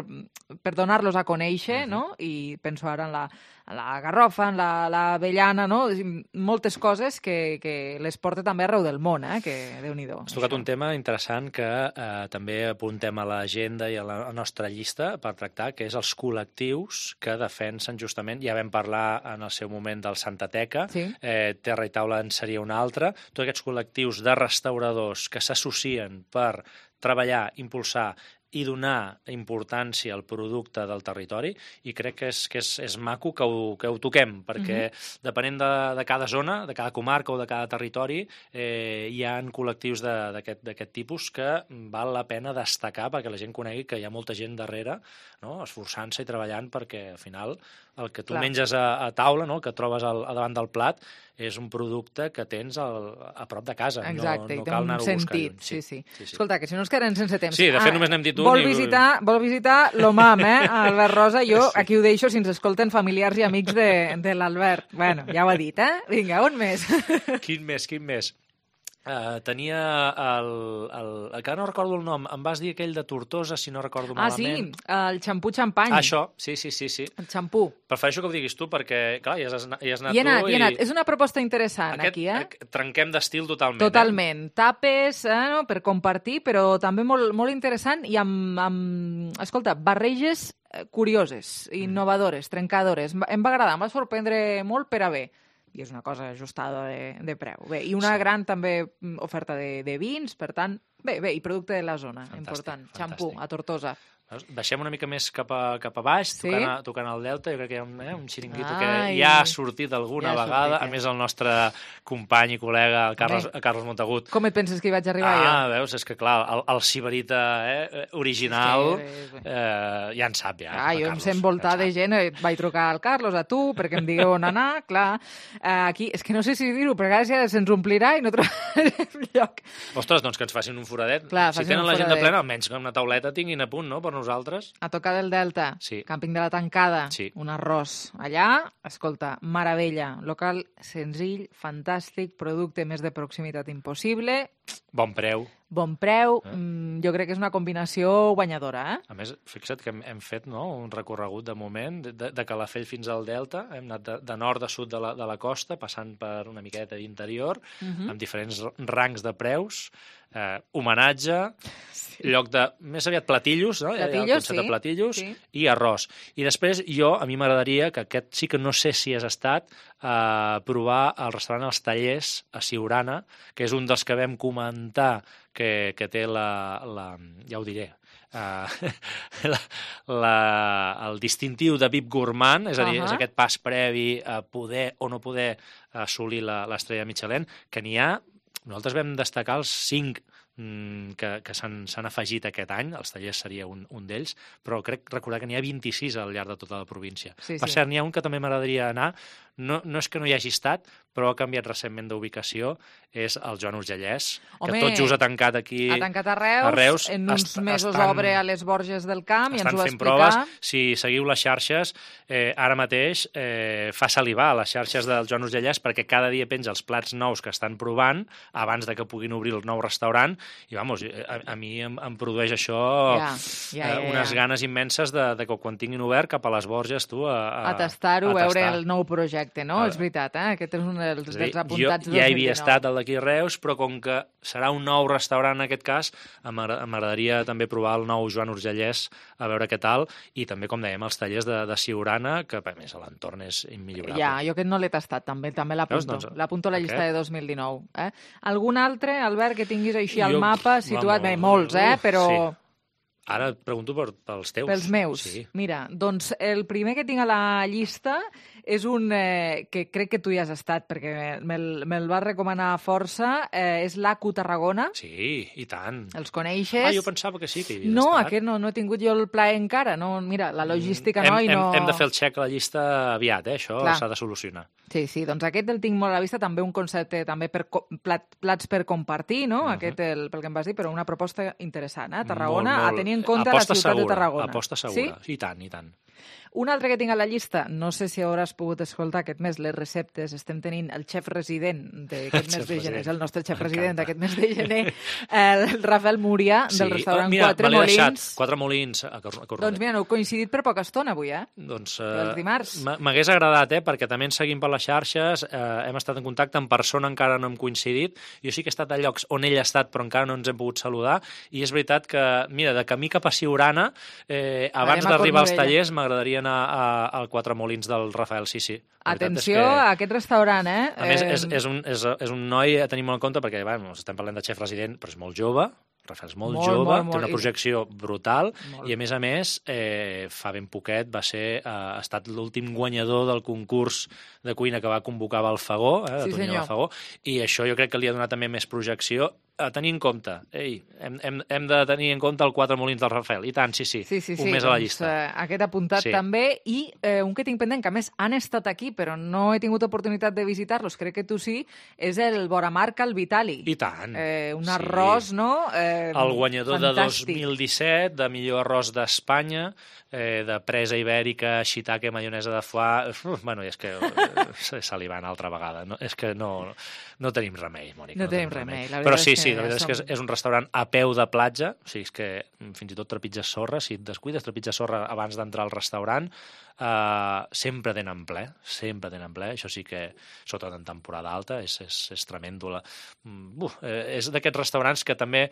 per donar-los a conèixer, uh-huh. no? I penso ara en la, en la garrofa, en l'avellana, la, no? Moltes coses que, que les porta també arreu del món, eh? Que Déu-n'hi-do. Has tocat un tema interessant que eh, també apuntem a l'agenda i a la nostra llista per tractar, que és els col·lectius que defensen justament, ja vam parlar en el seu moment del Santateca, sí. eh, Terra i Taula en seria un altre, tots aquests col·lectius de restauradors que s'associen per treballar, impulsar i donar importància al producte del territori, i crec que és, que és, és maco que ho, que ho toquem, perquè uh-huh. depenent de, de cada zona, de cada comarca o de cada territori, eh, hi ha col·lectius d'aquest tipus que val la pena destacar perquè la gent conegui que hi ha molta gent darrere, no? Esforçant-se i treballant perquè al final el que tu Clar. menges a, a taula, no? El que trobes al, a davant del plat, és un producte que tens al, a prop de casa. Exacte, no, no i té cal un anar-ho sentit. a buscar. Sí, sí. sí, sí. Escolta, que si no ens quedem sense temps. Sí, de fet, ah, només n'hem dit un. Vol i... visitar, vol visitar l'Omam, eh? Albert Rosa, jo sí. aquí ho deixo si ens escolten familiars i amics de, de l'Albert. Bueno, ja ho ha dit, eh? Vinga, on més? Quin més, quin més? Uh, tenia el, el... que no recordo el nom, em vas dir aquell de Tortosa, si no recordo ah, malament. Ah, sí, el xampú xampany. Ah, això, sí, sí, sí, sí. El xampú. Prefereixo que ho diguis tu, perquè, clar, hi has, hi has anat hi he anat, tu. Hi he anat, és una proposta interessant, Aquest, aquí, eh? Trenquem d'estil totalment. Totalment. Eh? Tapes, eh, no? Per compartir, però també molt, molt interessant i amb, amb, escolta, barreges curioses, innovadores, trencadores. Em va agradar, em va sorprendre molt per a bé. I és una cosa ajustada de, de preu. Bé, i una sí. gran també oferta de, de vins, per tant, bé, bé, i producte de la zona, fantàstic, important. Xampú, a Tortosa. Deixem una mica més cap a, cap a baix, sí? tocant, a, tocant el Delta. Jo crec que hi ha un, eh, un xiringuito Ai. que ja ha sortit alguna ja vegada. Sortit, eh? A més, el nostre company i col·lega, el Carles, el Carles Montagut. Com et penses que hi vaig arribar ah, jo? Ah, veus, és que clar, el, el sibarita eh, original sí, eh, ja en sap, ja. Ah, jo em sé envoltar de gent, vaig trucar al Carlos, a tu, perquè em digueu on anar, clar. Aquí, és que no sé si dir-ho, perquè ara se'ns omplirà i no trobarem lloc. Ostres, doncs que ens facin un foradet. Clar, si tenen l'agenda plena, almenys que una tauleta tinguin a punt, no?, per nosaltres. A tocar del Delta, sí. Càmping de la Tancada, sí. un arròs. Allà, escolta, meravella. Local senzill, fantàstic, producte més de proximitat impossible. Bon preu. Bon preu. Eh? Mm, jo crec que és una combinació guanyadora, eh? A més, fixa't que hem, hem fet no, un recorregut de moment, de, de Calafell fins al Delta, hem anat de, de nord a sud de la, de la costa, passant per una miqueta d'interior, uh-huh. amb diferents rangs de preus, eh, homenatge, sí. lloc de, més aviat platillos, no? Platillos, el concepte sí. de platillos, sí. i arròs. I després jo, a mi m'agradaria, que aquest sí que no sé si has estat, eh, provar el restaurant Els Tallers a Siurana, que és un dels que vam comentar que, que té la, la... ja ho diré, Uh, la, la, el distintiu de V I P Gourmand, és a dir, uh-huh. és aquest pas previ a poder o no poder assolir l'estrella Michelin, que n'hi ha, nosaltres vam destacar els cinc mm, que, que s'han afegit aquest any, els tallers seria un, un d'ells, però crec recordar que n'hi ha vint-i-sis al llarg de tota la província. Sí, per sí. cert, n'hi ha un que també m'agradaria anar, no, no és que no hi hagi estat, però ha canviat recentment d'ubicació, és el Joan Urgellès, que Home, tot just ha tancat aquí... Ha tancat a Reus, a Reus en uns est mesos estan, obre a les Borges del Camp i ens ho va fent explicar. proves. Si seguiu les xarxes, eh, ara mateix eh, fa salivar les xarxes del Joan Urgellès perquè cada dia penja els plats nous que estan provant abans de que puguin obrir el nou restaurant i, vamos, a, a mi em, em produeix això ja, ja, ja, eh, unes ja. ganes immenses de, de que quan tinguin obert cap a les Borges, tu, a, a, a tastar-ho, a veure tastar. el nou projecte, no? A És veritat, eh? Aquest és un dels, És a dir, dels apuntats jo del ja dos hi mil havia dinou. estat al d'aquí Reus, però com que serà un nou restaurant en aquest cas, m'agradaria també provar el nou Joan Urgellès, a veure què tal, i també, com dèiem, els tallers de, de Siurana, que a més l'entorn és immillorable. Ja, jo aquest no l'he tastat, també també l'apunto. Doncs, l'apunto a la llista aquest? de dos mil dinou. Eh? Algun altre, Albert, que tinguis així al Jo, mapa situat? vamos, Bé, molts, eh? uf, Però... Sí. Ara et pregunto per, pels teus. Pels meus. Sí. Mira, doncs el primer que tinc a la llista és un eh, que crec que tu hi has estat, perquè me'l me vas recomanar força, eh, és l'A Q Tarragona. Sí, i tant. Els coneixes? Ah, jo pensava que sí que hi havies no, estat. aquest no, no he tingut jo el plaer encara. No, mira, la logística hem, no, i no... Hem, hem de fer el xec a la llista aviat, eh? Això s'ha de solucionar. Sí, sí, doncs aquest el tinc molt a la vista, també un concepte també per plat, plats per compartir, no? Uh -huh. Aquest el, pel que em vas dir, però una proposta interessant, eh? Tarragona, molt, molt. a tenir en compte aposta la ciutat segura, de Tarragona. Aposta segura, sí? I tant, i tant. Un altre que tinc a la llista, no sé si hauràs pogut escoltar aquest mes les receptes, estem tenint el xef resident d'aquest mes de gener, és el nostre xef resident d'aquest mes de gener, el Rafael Múria, sí. del restaurant oh, mira, Quatre Molins. Deixat. Quatre Molins a Cornellà. Doncs mira, no heu coincidit per poca estona avui, eh? Doncs Els dimarts. m'hagués agradat, eh? Perquè també ens seguim per les xarxes, eh, hem estat en contacte, en persona encara no hem coincidit, jo sí que he estat a llocs on ell ha estat però encara no ens hem pogut saludar, i és veritat que, mira, de camí cap a Siurana, eh, abans d'arribar als tallers m'agradaria anar a, al Quatre Molins del Rafael, sí, sí. Atenció que, a aquest restaurant, eh? A més, és, és, un, és, és un noi a tenir molt en compte, perquè, bueno, estem parlant de xef resident, però és molt jove, Rafael és molt, molt jove, molt, molt, té una projecció brutal, molt. I a més a més, eh, fa ben poquet va ser, eh, ha estat l'últim guanyador del concurs de cuina que va convocar Balfagó, eh, de sí, Tonyà Balfagó, i això jo crec que li ha donat també més projecció a tenir en compte. Ei, hem, hem, hem de tenir en compte el Quatre Molins del Rafael. I tant, sí, sí, sí, sí, un sí, més doncs, a la llista. Eh, aquest apuntat sí. també, i eh, un que tinc pendent, que a més han estat aquí, però no he tingut oportunitat de visitar-los, crec que tu sí, és el Boramarca al Vitali. I tant. Eh, un arròs, sí. no? Eh, el guanyador fantàstic. de dos mil disset, de millor arròs d'Espanya, eh, de presa ibèrica, shiitake, maionesa de foie... Uf, bueno, és que eh, salivant altra vegada. No, és que no, no tenim remei, Mònica. No, no tenim remei. remei. Però sí, sí, la veritat som... és que és un restaurant a peu de platja, o sigui, és que fins i tot trepitges sorra, si et descuides, trepitges sorra abans d'entrar al restaurant, uh, sempre tenen ple, sempre tenen ple, això sí que, sobretot en temporada alta, és, és, és tremendo. La... Uf, eh, és d'aquests restaurants que també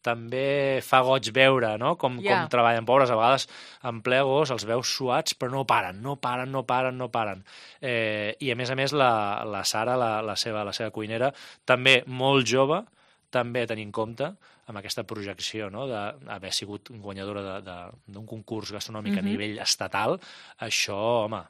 també fa goig veure, no? Com, yeah. com treballen pobres, a vegades en ple agost els veus suats, però no paren, no paren, no paren, no paren. Eh, I a més a més la, la Sara, la, la, seva, la seva cuinera, també molt jove, també a tenir en compte, amb aquesta projecció, no?, d'haver sigut guanyadora d'un concurs gastronòmic uh-huh. a nivell estatal, això, home,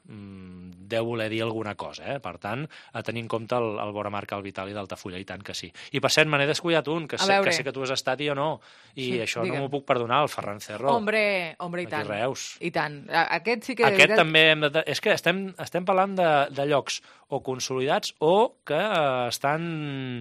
deu voler dir alguna cosa, eh? Per tant, a tenir en compte el, el Boramarca al Vitali d'Altafulla, i tant que sí. I per cert, me n'he descuidat un, que sé, que sé que tu has estat i jo no, i sí, això digue'm. No m'ho puc perdonar, el Ferran Cerro. Hombre, hombre, i tant. Aquí Reus. I tant. Aquest sí que... Aquest també hem de... És que estem, estem parlant de, de llocs o consolidats o que eh, estan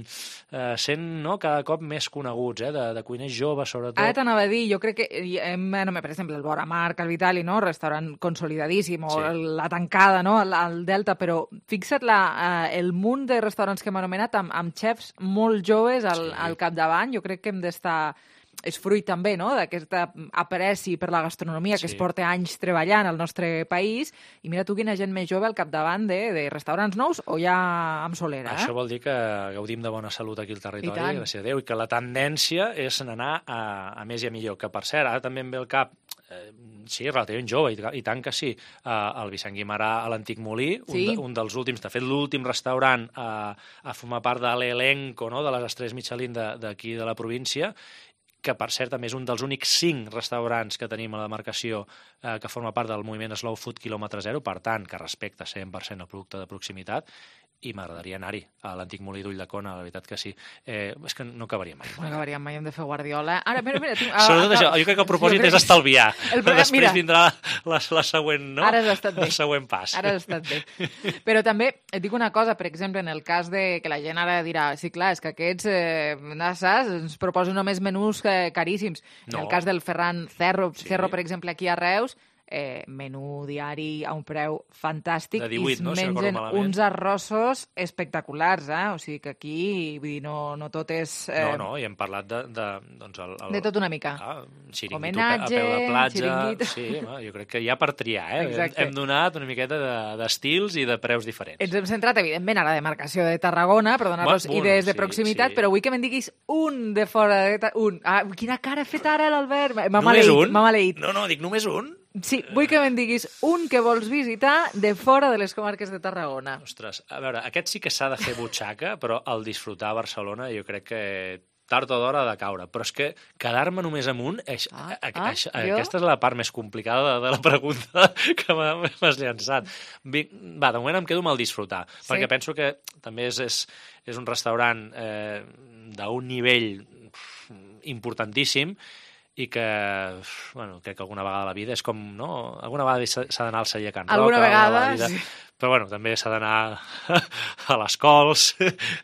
eh, sent, no?, cada cop més coneguts, eh?, de, de cuiners joves, sobretot. Ara t'anava a dir, jo crec que, hem, no, per exemple, el Boramarca, el Vitali, no?, restaurant consolidadíssim, o sí. la Tancada, no?, al, al Delta, però fixa't la, eh, el munt de restaurants que hem anomenat amb, amb xefs molt joves al, sí. al capdavant. Jo crec que hem d'estar... és fruit també, no?, d'aquesta apreci per la gastronomia que sí. es porta anys treballant al nostre país, i mira tu quina gent més jove al capdavant de, de restaurants nous o ja amb solera. Eh? Això vol dir que gaudim de bona salut aquí al territori, gràcies a Déu, i que la tendència és anar a, a més i a millor. Que, per cert, ara també em ve el cap, eh, sí, relativament jove, i, i tant que sí, eh, el Vicent Guimarà a l'Antic Molí, sí. un, de, un dels últims, de fet l'últim restaurant a, a formar part de l'elenco, no?, de les estrelles Michelin d'aquí de, de la província, que per cert també és un dels únics cinc restaurants que tenim a la demarcació eh, que forma part del moviment Slow Food quilòmetre zero, per tant, que respecta cent per cent el producte de proximitat, i m'agradaria anar-hi, a l'antic molí d'Ulldecona, la veritat que sí. Eh, és que no acabaríem mai. No acabaríem mai, hem de fer Guardiola. Ara, mira, mira... Tinc... Sobretot això, jo crec que el propòsit és estalviar. El problema, Després mira, vindrà la, la següent, no? Ara has estat bé. El següent pas. Ara has estat bé. Però també et dic una cosa, per exemple, en el cas de que la gent ara dirà, sí, clar, és que aquests, eh, saps, ens proposen només menús eh, caríssims. En No. el cas del Ferran Cerro, Sí. Cerro, per exemple, aquí a Reus, eh, menú diari a un preu fantàstic De divuit, i es no? Si recordo mengen malament. uns arrossos espectaculars, eh? O sigui que aquí, vull dir, no, no tot és... Eh, No, no, i hem parlat de... De, doncs el, el, de tot una mica. Ah, xiringuito Homenatge, a peu de platja... xiringuito. Sí, home, jo crec que hi ha per triar, eh? Exacte. Hem donat una miqueta de- d'estils i de preus diferents. Ens hem centrat, evidentment, a la demarcació de Tarragona, per donar-nos Bueno, idees de sí, proximitat, sí. però vull que me'n diguis un de fora de... Ta- Un. Ah, quina cara ha fet ara l'Albert? M'ha Només maleït, un? m'ha maleït. No, no, dic només un. Sí, vull que me'n diguis un que vols visitar de fora de les comarques de Tarragona. Ostres, a veure, aquest sí que s'ha de fer butxaca, però el disfrutar a Barcelona jo crec que tard o d'hora ha de caure. Però és que quedar-me només amb un, eix, Ah, a, a, ah, això- jo? aquesta és la part més complicada de, de la pregunta que m'ha- m'has llançat. Vinc, va, de moment em quedo amb el disfrutar, Sí. perquè penso que també és, és, és un restaurant eh, d'un nivell importantíssim i que, bueno, crec que alguna vegada a la vida és com, no? Alguna vegada s'ha s'ha d'anar al celler Can Roca. Alguna vegada, a la vida, sí. Però, bueno, també s'ha d'anar a les Cols,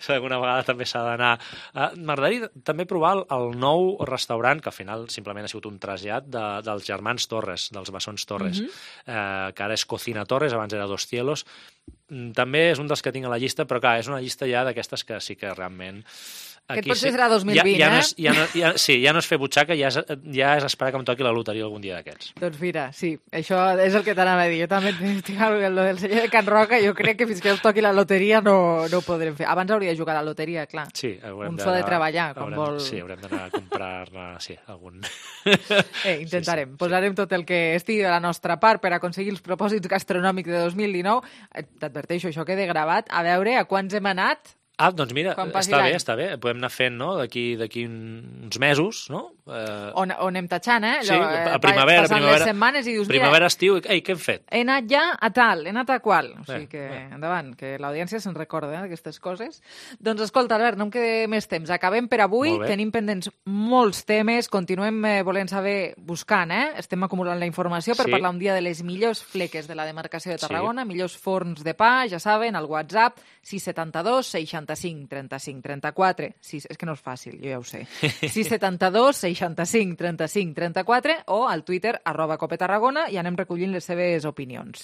alguna vegada també s'ha d'anar... Uh, M'agradaria també provar el, el nou restaurant, que al final simplement ha sigut un trasllat de, dels germans Torres, dels bessons Torres, Mhm. uh, que ara és Cocina Torres, abans era Dos Cielos. Mm, També és un dels que tinc a la llista, però clar, és una llista ja d'aquestes que sí que realment... Aquest aquí potser sí- serà dos mil vint, ja, ja no eh? és, ja no, ja, sí, ja no és fer butxaca, ja és, ja és esperar que em toqui la loteria algun dia d'aquests. Doncs mira, sí, això és el que t'anava a dir. Jo també tinc el del celler de Can Roca, jo crec que fins que us toqui la loteria no, no ho podrem fer. Abans hauria de jugar a la loteria, clar. Sí, haurem Un so de d'anar- treballar, com haurem, vol... Sí, haurem d'anar a comprar-ne, sí, algun... Eh, intentarem. Sí, sí, Posarem tot el que estigui a la nostra part per aconseguir els propòsits gastronòmics de dos mil dinou. Eh, T'adverteixo, això queda gravat. A veure a quants hem anat. Ah, doncs mira, Quan passi està bé, l'any. està bé. Podem anar fent, no?, d'aquí d'aquí uns mesos, no? Eh, On, on anem tatxant, eh? sí, Allò, eh, a primavera, passant primavera, les setmanes i dius, primavera, mira, estiu, ei, què hem fet? he anat ja a tal, he anat a qual. O sigui Bé, que, bé. endavant, que l'audiència se'n recorda eh, d'aquestes coses. Doncs escolta, Albert, no em queda més temps. Acabem per avui, Molt bé. tenim pendents molts temes, continuem eh, volent saber, buscant, eh? Estem acumulant la informació per Sí. parlar un dia de les millors fleques de la demarcació de Sí. Tarragona, millors forns de pa, ja saben, al WhatsApp, sis setanta-dos seixanta-cinc trenta-cinc trenta-quatre. Sí, és que no és fàcil, jo ja ho sé. sis setanta-dos seixanta-cinc trenta-cinc trenta-quatre o al Twitter, arroba Cope Tarragona, i anem recollint les seves opinions.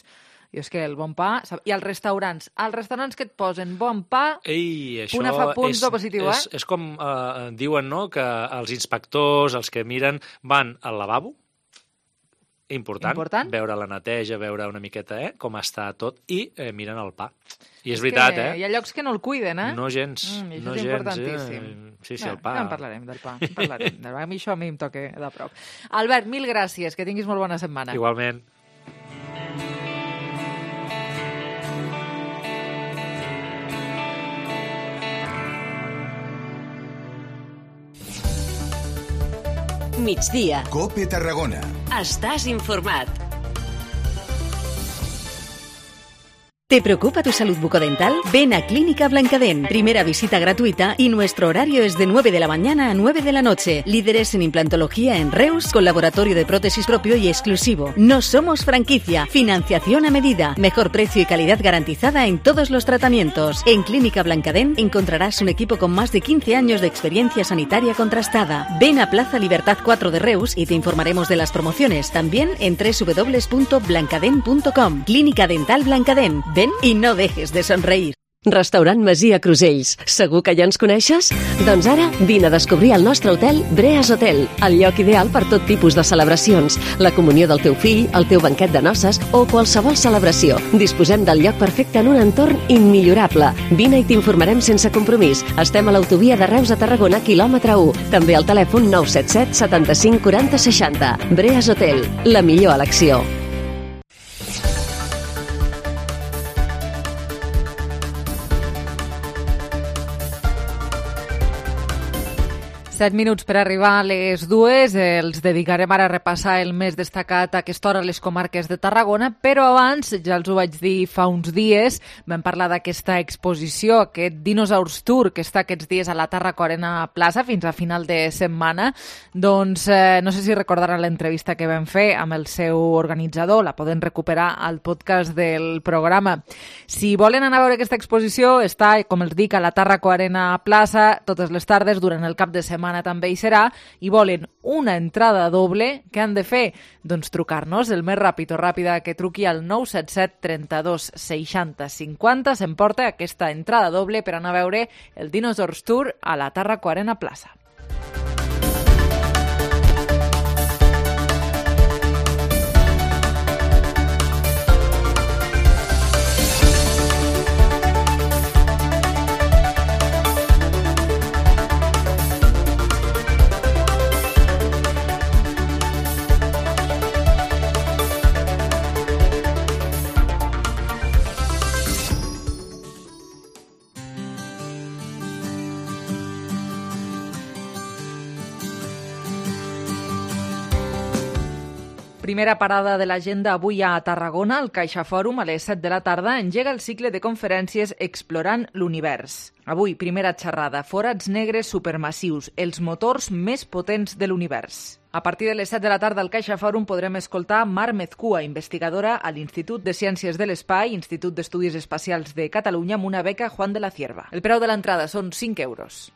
I és que el bon pa... I als restaurants, als restaurants que et posen bon pa, Ei, això punt a fa punts és, de positiu, és, eh? és com eh, diuen, no?, que els inspectors, els que miren, van al lavabo, important, Important. veure la neteja, veure una miqueta eh, com està tot, i eh, miren el pa. I és, És veritat, que eh? Hi ha llocs que no el cuiden, eh? No gens, Mm, i això no és gens, importantíssim. eh? Sí, sí, Ja, el pa... Ja en parlarem del pa, en parlarem. A mi això a mi em toca de prop. Albert, mil gràcies, que tinguis molt bona setmana. Igualment. Migdia. Cope Tarragona. Estàs informat. ¿Te preocupa tu salud bucodental? Ven a Clínica Blancadén. Primera visita gratuita y nuestro horario es de nueve de la mañana a nueve de la noche. Líderes en implantología en Reus, con laboratorio de prótesis propio y exclusivo. No somos franquicia. Financiación a medida. Mejor precio y calidad garantizada en todos los tratamientos. En Clínica Blancadén encontrarás un equipo con más de quince años de experiencia sanitaria contrastada. Ven a Plaza Libertad cuatro de Reus y te informaremos de las promociones. También en doble u doble u doble u punto blancadén punto com. Clínica Dental Blancadén. Ven i no dejes de sonreír. Restaurant Masia Crusells. Segur que ja ens coneixes? Doncs ara vine a descobrir el nostre hotel Breas Hotel, el lloc ideal per tot tipus de celebracions, la comunió del teu fill, el teu banquet de noces o qualsevol celebració. Disposem del lloc perfecte en un entorn immillorable. Vine i t'informarem sense compromís. Estem a l'autovia de Reus a Tarragona, quilòmetre u. També al telèfon nou set set setanta-cinc quaranta seixanta. Breas Hotel, la millor elecció. Set minuts per arribar a les dues. Els dedicarem ara a repassar el més destacat a aquesta hora a les comarques de Tarragona, però abans, ja els ho vaig dir fa uns dies, vam parlar d'aquesta exposició, aquest Dinosaurs Tour, que està aquests dies a la Tarraco Arena Plaça fins a final de setmana. Doncs eh, no sé si recordaran l'entrevista que vam fer amb el seu organitzador, la poden recuperar al podcast del programa. Si volen anar a veure aquesta exposició, està, com els dic, a la Tarraco Arena Plaça totes les tardes, durant el cap de setmana també hi serà, i volen una entrada doble, què han de fer? Doncs trucar-nos, el més ràpid o ràpida que truqui al nou set set trenta-dos seixanta cinquanta s'emporta aquesta entrada doble per anar a veure el Dinosaurs Tour a la Tarraco Arena Plaça. Primera parada de l'agenda avui a Tarragona, el Caixa Fòrum, a les set de la tarda, engega el cicle de conferències Explorant l'Univers. Avui, primera xerrada, forats negres supermassius, els motors més potents de l'univers. A partir de les set de la tarda al Caixa Fòrum podrem escoltar Mar Mezcua, investigadora a l'Institut de Ciències de l'Espai, Institut d'Estudis Espacials de Catalunya, amb una beca Juan de la Cierva. El preu de l'entrada són cinc euros.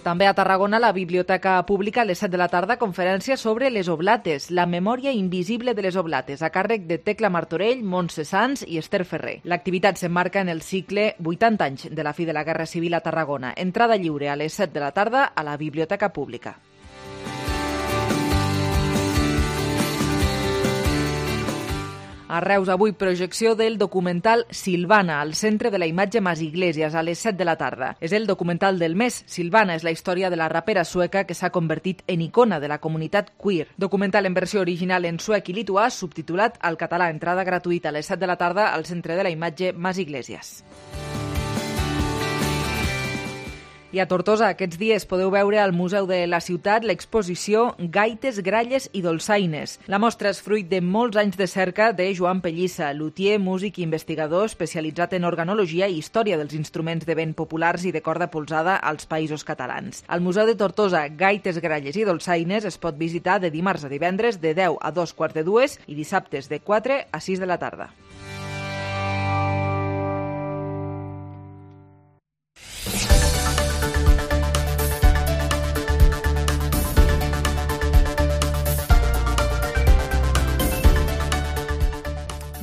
També a Tarragona, la Biblioteca Pública, a les set de la tarda, conferència sobre les oblates, la memòria invisible de les oblates, a càrrec de Tecla Martorell, Montse Sans i Esther Ferrer. L'activitat s'emmarca en el cicle vuitanta anys de la fi de la Guerra Civil a Tarragona. Entrada lliure a les set de la tarda a la Biblioteca Pública. A Reus, avui, projecció del documental Silvana, al Centre de la Imatge Mas Iglesias, a les set de la tarda. És el documental del mes. Silvana és la història de la rapera sueca que s'ha convertit en icona de la comunitat queer. Documental en versió original en suec i lituà, subtitulat al català. Entrada gratuïta a les set de la tarda al Centre de la Imatge Mas Iglesias. I a Tortosa, aquests dies podeu veure al Museu de la Ciutat l'exposició Gaites, Gralles i Dolçaines. La mostra és fruit de molts anys de cerca de Joan Pellissa, lutier, músic i investigador especialitzat en organologia i història dels instruments de vent populars i de corda polsada als Països Catalans. Al Museu de Tortosa, Gaites, Gralles i Dolçaines es pot visitar de dimarts a divendres de deu a dos quarts de dues i dissabtes de quatre a sis de la tarda.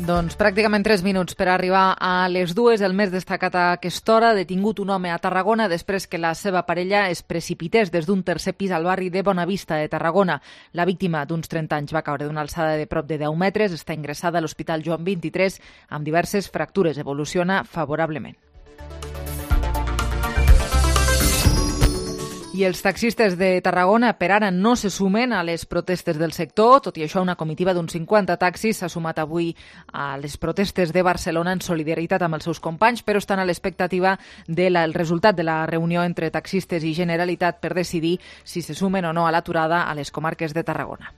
Doncs pràcticament tres minuts per arribar a les dues. El més destacat a aquesta hora, detingut un home a Tarragona després que la seva parella es precipités des d'un tercer pis al barri de Bonavista de Tarragona. La víctima, d'uns trenta anys, va caure d'una alçada de prop de deu metres, està ingressada a l'Hospital Joan vint-i-tres amb diverses fractures. Evoluciona favorablement. I els taxistes de Tarragona per ara no se sumen a les protestes del sector. Tot i això, una comitiva d'uns cinquanta taxis s'ha sumat avui a les protestes de Barcelona en solidaritat amb els seus companys, però estan a l'expectativa del resultat de la reunió entre taxistes i Generalitat per decidir si se sumen o no a l'aturada a les comarques de Tarragona.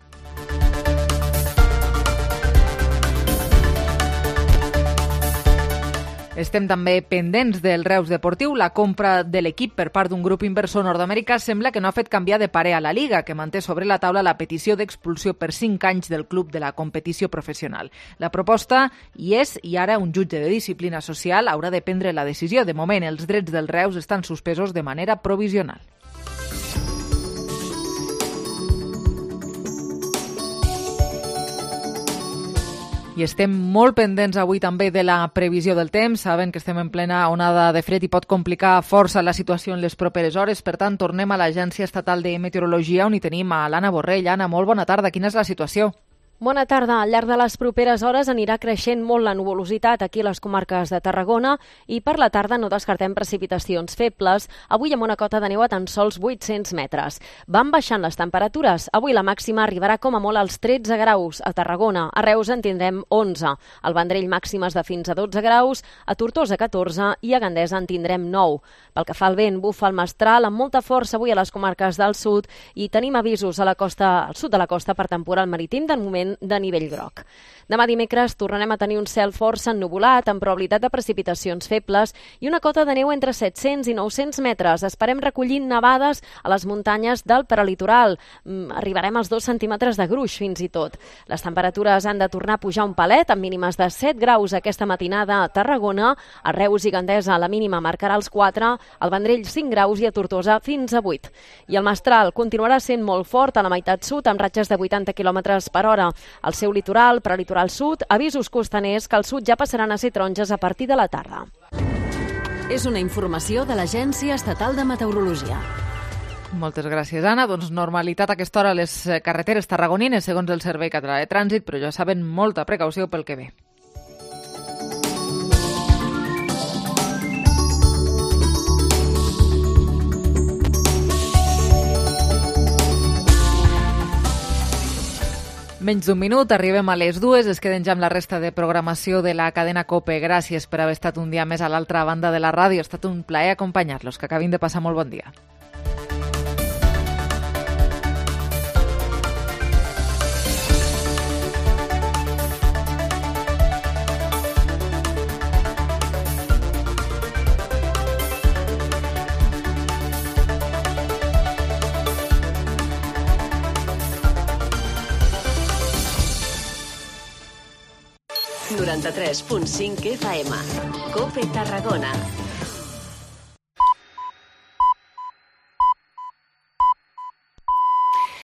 Estem també pendents del Reus Deportiu. La compra de l'equip per part d'un grup inversor nord-americà sembla que no ha fet canviar de parer a la Liga, que manté sobre la taula la petició d'expulsió per cinc anys del club de la competició professional. La proposta hi és i ara un jutge de disciplina social haurà de prendre la decisió. De moment, els drets del Reus estan suspesos de manera provisional. I estem molt pendents avui també de la previsió del temps. Saben que estem en plena onada de fred i pot complicar força la situació en les properes hores. Per tant, tornem a l'Agència Estatal de Meteorologia, on hi tenim a l'Anna Borrell. Anna, molt bona tarda. Quina és la situació? Bona tarda. Al llarg de les properes hores anirà creixent molt la nuvolositat aquí a les comarques de Tarragona i per la tarda no descartem precipitacions febles, avui amb una cota de neu a tan sols vuit-cents metres. Van baixant les temperatures. Avui la màxima arribarà com a molt als tretze graus a Tarragona. A Reus en tindrem onze. Al Vendrell màximes de fins a dotze graus, a Tortosa catorze i a Gandesa en tindrem nou. Pel que fa al vent, bufa el mestral amb molta força avui a les comarques del sud i tenim avisos a la costa, al sud de la costa per temporal marítim de moment de nivell groc. Demà dimecres tornarem a tenir un cel força ennuvolat amb probabilitat de precipitacions febles i una cota de neu entre set-cents i nou-cents metres. Esperem recollir nevades a les muntanyes del prelitoral. Arribarem als dos centímetres de gruix fins i tot. Les temperatures han de tornar a pujar un palet amb mínimes de set graus aquesta matinada a Tarragona. A Reus i Gandesa la mínima marcarà els quatre, al Vendrell cinc graus i a Tortosa fins a vuit. I el mestral continuarà sent molt fort a la meitat sud amb ratxes de vuitanta quilòmetres per hora. Al seu litoral, prelitoral sud, avisos costaners que al sud ja passaran a ser taronges a partir de la tarda. És una informació de l'Agència Estatal de Meteorologia. Moltes gràcies, Anna. Doncs normalitat a aquesta hora a les carreteres tarragonines, segons el Servei Català de Trànsit, però ja saben, molta precaució pel que ve. Menys d'un minut, arribem a les dues, es queden ja amb la resta de programació de la cadena COPE. Gràcies per haver estat un dia més a l'altra banda de la ràdio. Ha estat un plaer acompanyar-los. Que acabin de passar molt bon dia. noranta-tres punt cinc F M. COPE Tarragona.